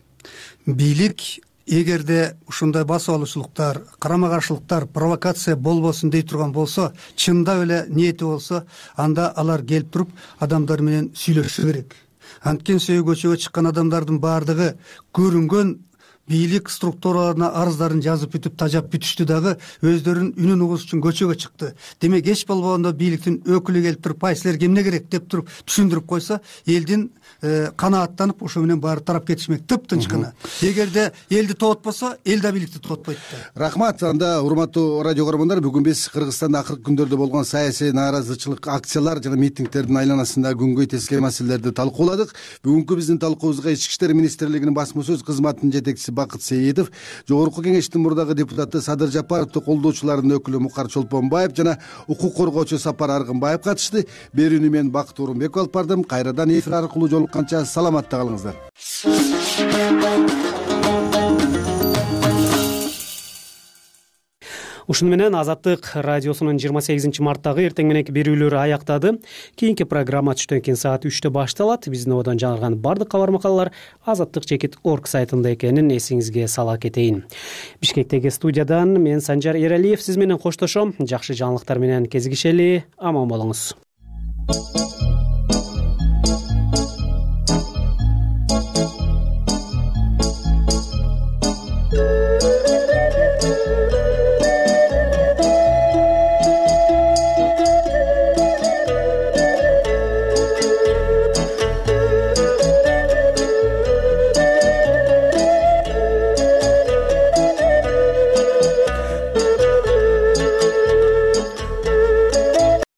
Бийлик эгерде ушундай басып алуучулуктар, карама каршылыктар, провокация болбосун дей турган болсо, чындап эле ниети болсо, анда алар келип туруп адамдар менен сүйлөшүшү керек. Анткени көчөгө чыккан адамдардын баардыгы көрүнгөн бийлик структураларына арыздарын жазып бүтүп тажап бүтүштү дагы өздөрүнүн үнүн угуш үчүн көчөгө чыкты. Демек эч болбогондо бийликтин өкүлү келип туруп силерге эмне керек деп туруп түшүндүрүп койсо, элдин канааттанып ошо менен баары тарап кетишмек тыптынч гана. Эгерде элди тоотпосо, эл да бийликти тоотпойт да. Рахмат. Анда урматтуу радио көрөрмандар, бүгүн биз Кыргызстанда акыркы күндөрдө болгон саясий нааразычылык акциялар жана митингтердин айланасында күнгөй тескей маселелерди талкууладык. Бүгүнкү биздин талкуубузга Ички иштер министрлигинин басма сөз кызматынын жетекчиси Бакыт Сейитов, Жогорку Кеңештин мурдагы депутаты Садыр Жапаровду колдоочулардын өкүлү Мукар Чолпонбаев жана укук коргоочу Сапар Аргынбаев катышты. Берүүнү мен Бакыт Орунбеков алып бардым. Кайрадан эфир аркылуу жолукканча саламатта калыңыздар. Ушуну менен Азаттык радиосунун 28 марттагы эртең мененки берүүлөрү аяктады. Кийинки программа түштөн кийин саат 3-тө башталат. Биздин ободон жаңырган бардык кабар макалалар azattik.org сайтында экенин эсиңизге сала кетейин. Бишкектеги студиядан мен Санжар Эралиев сиз менен коштошом. Жакшы жаңылыктар менен кезигишели. Аман болуңуз.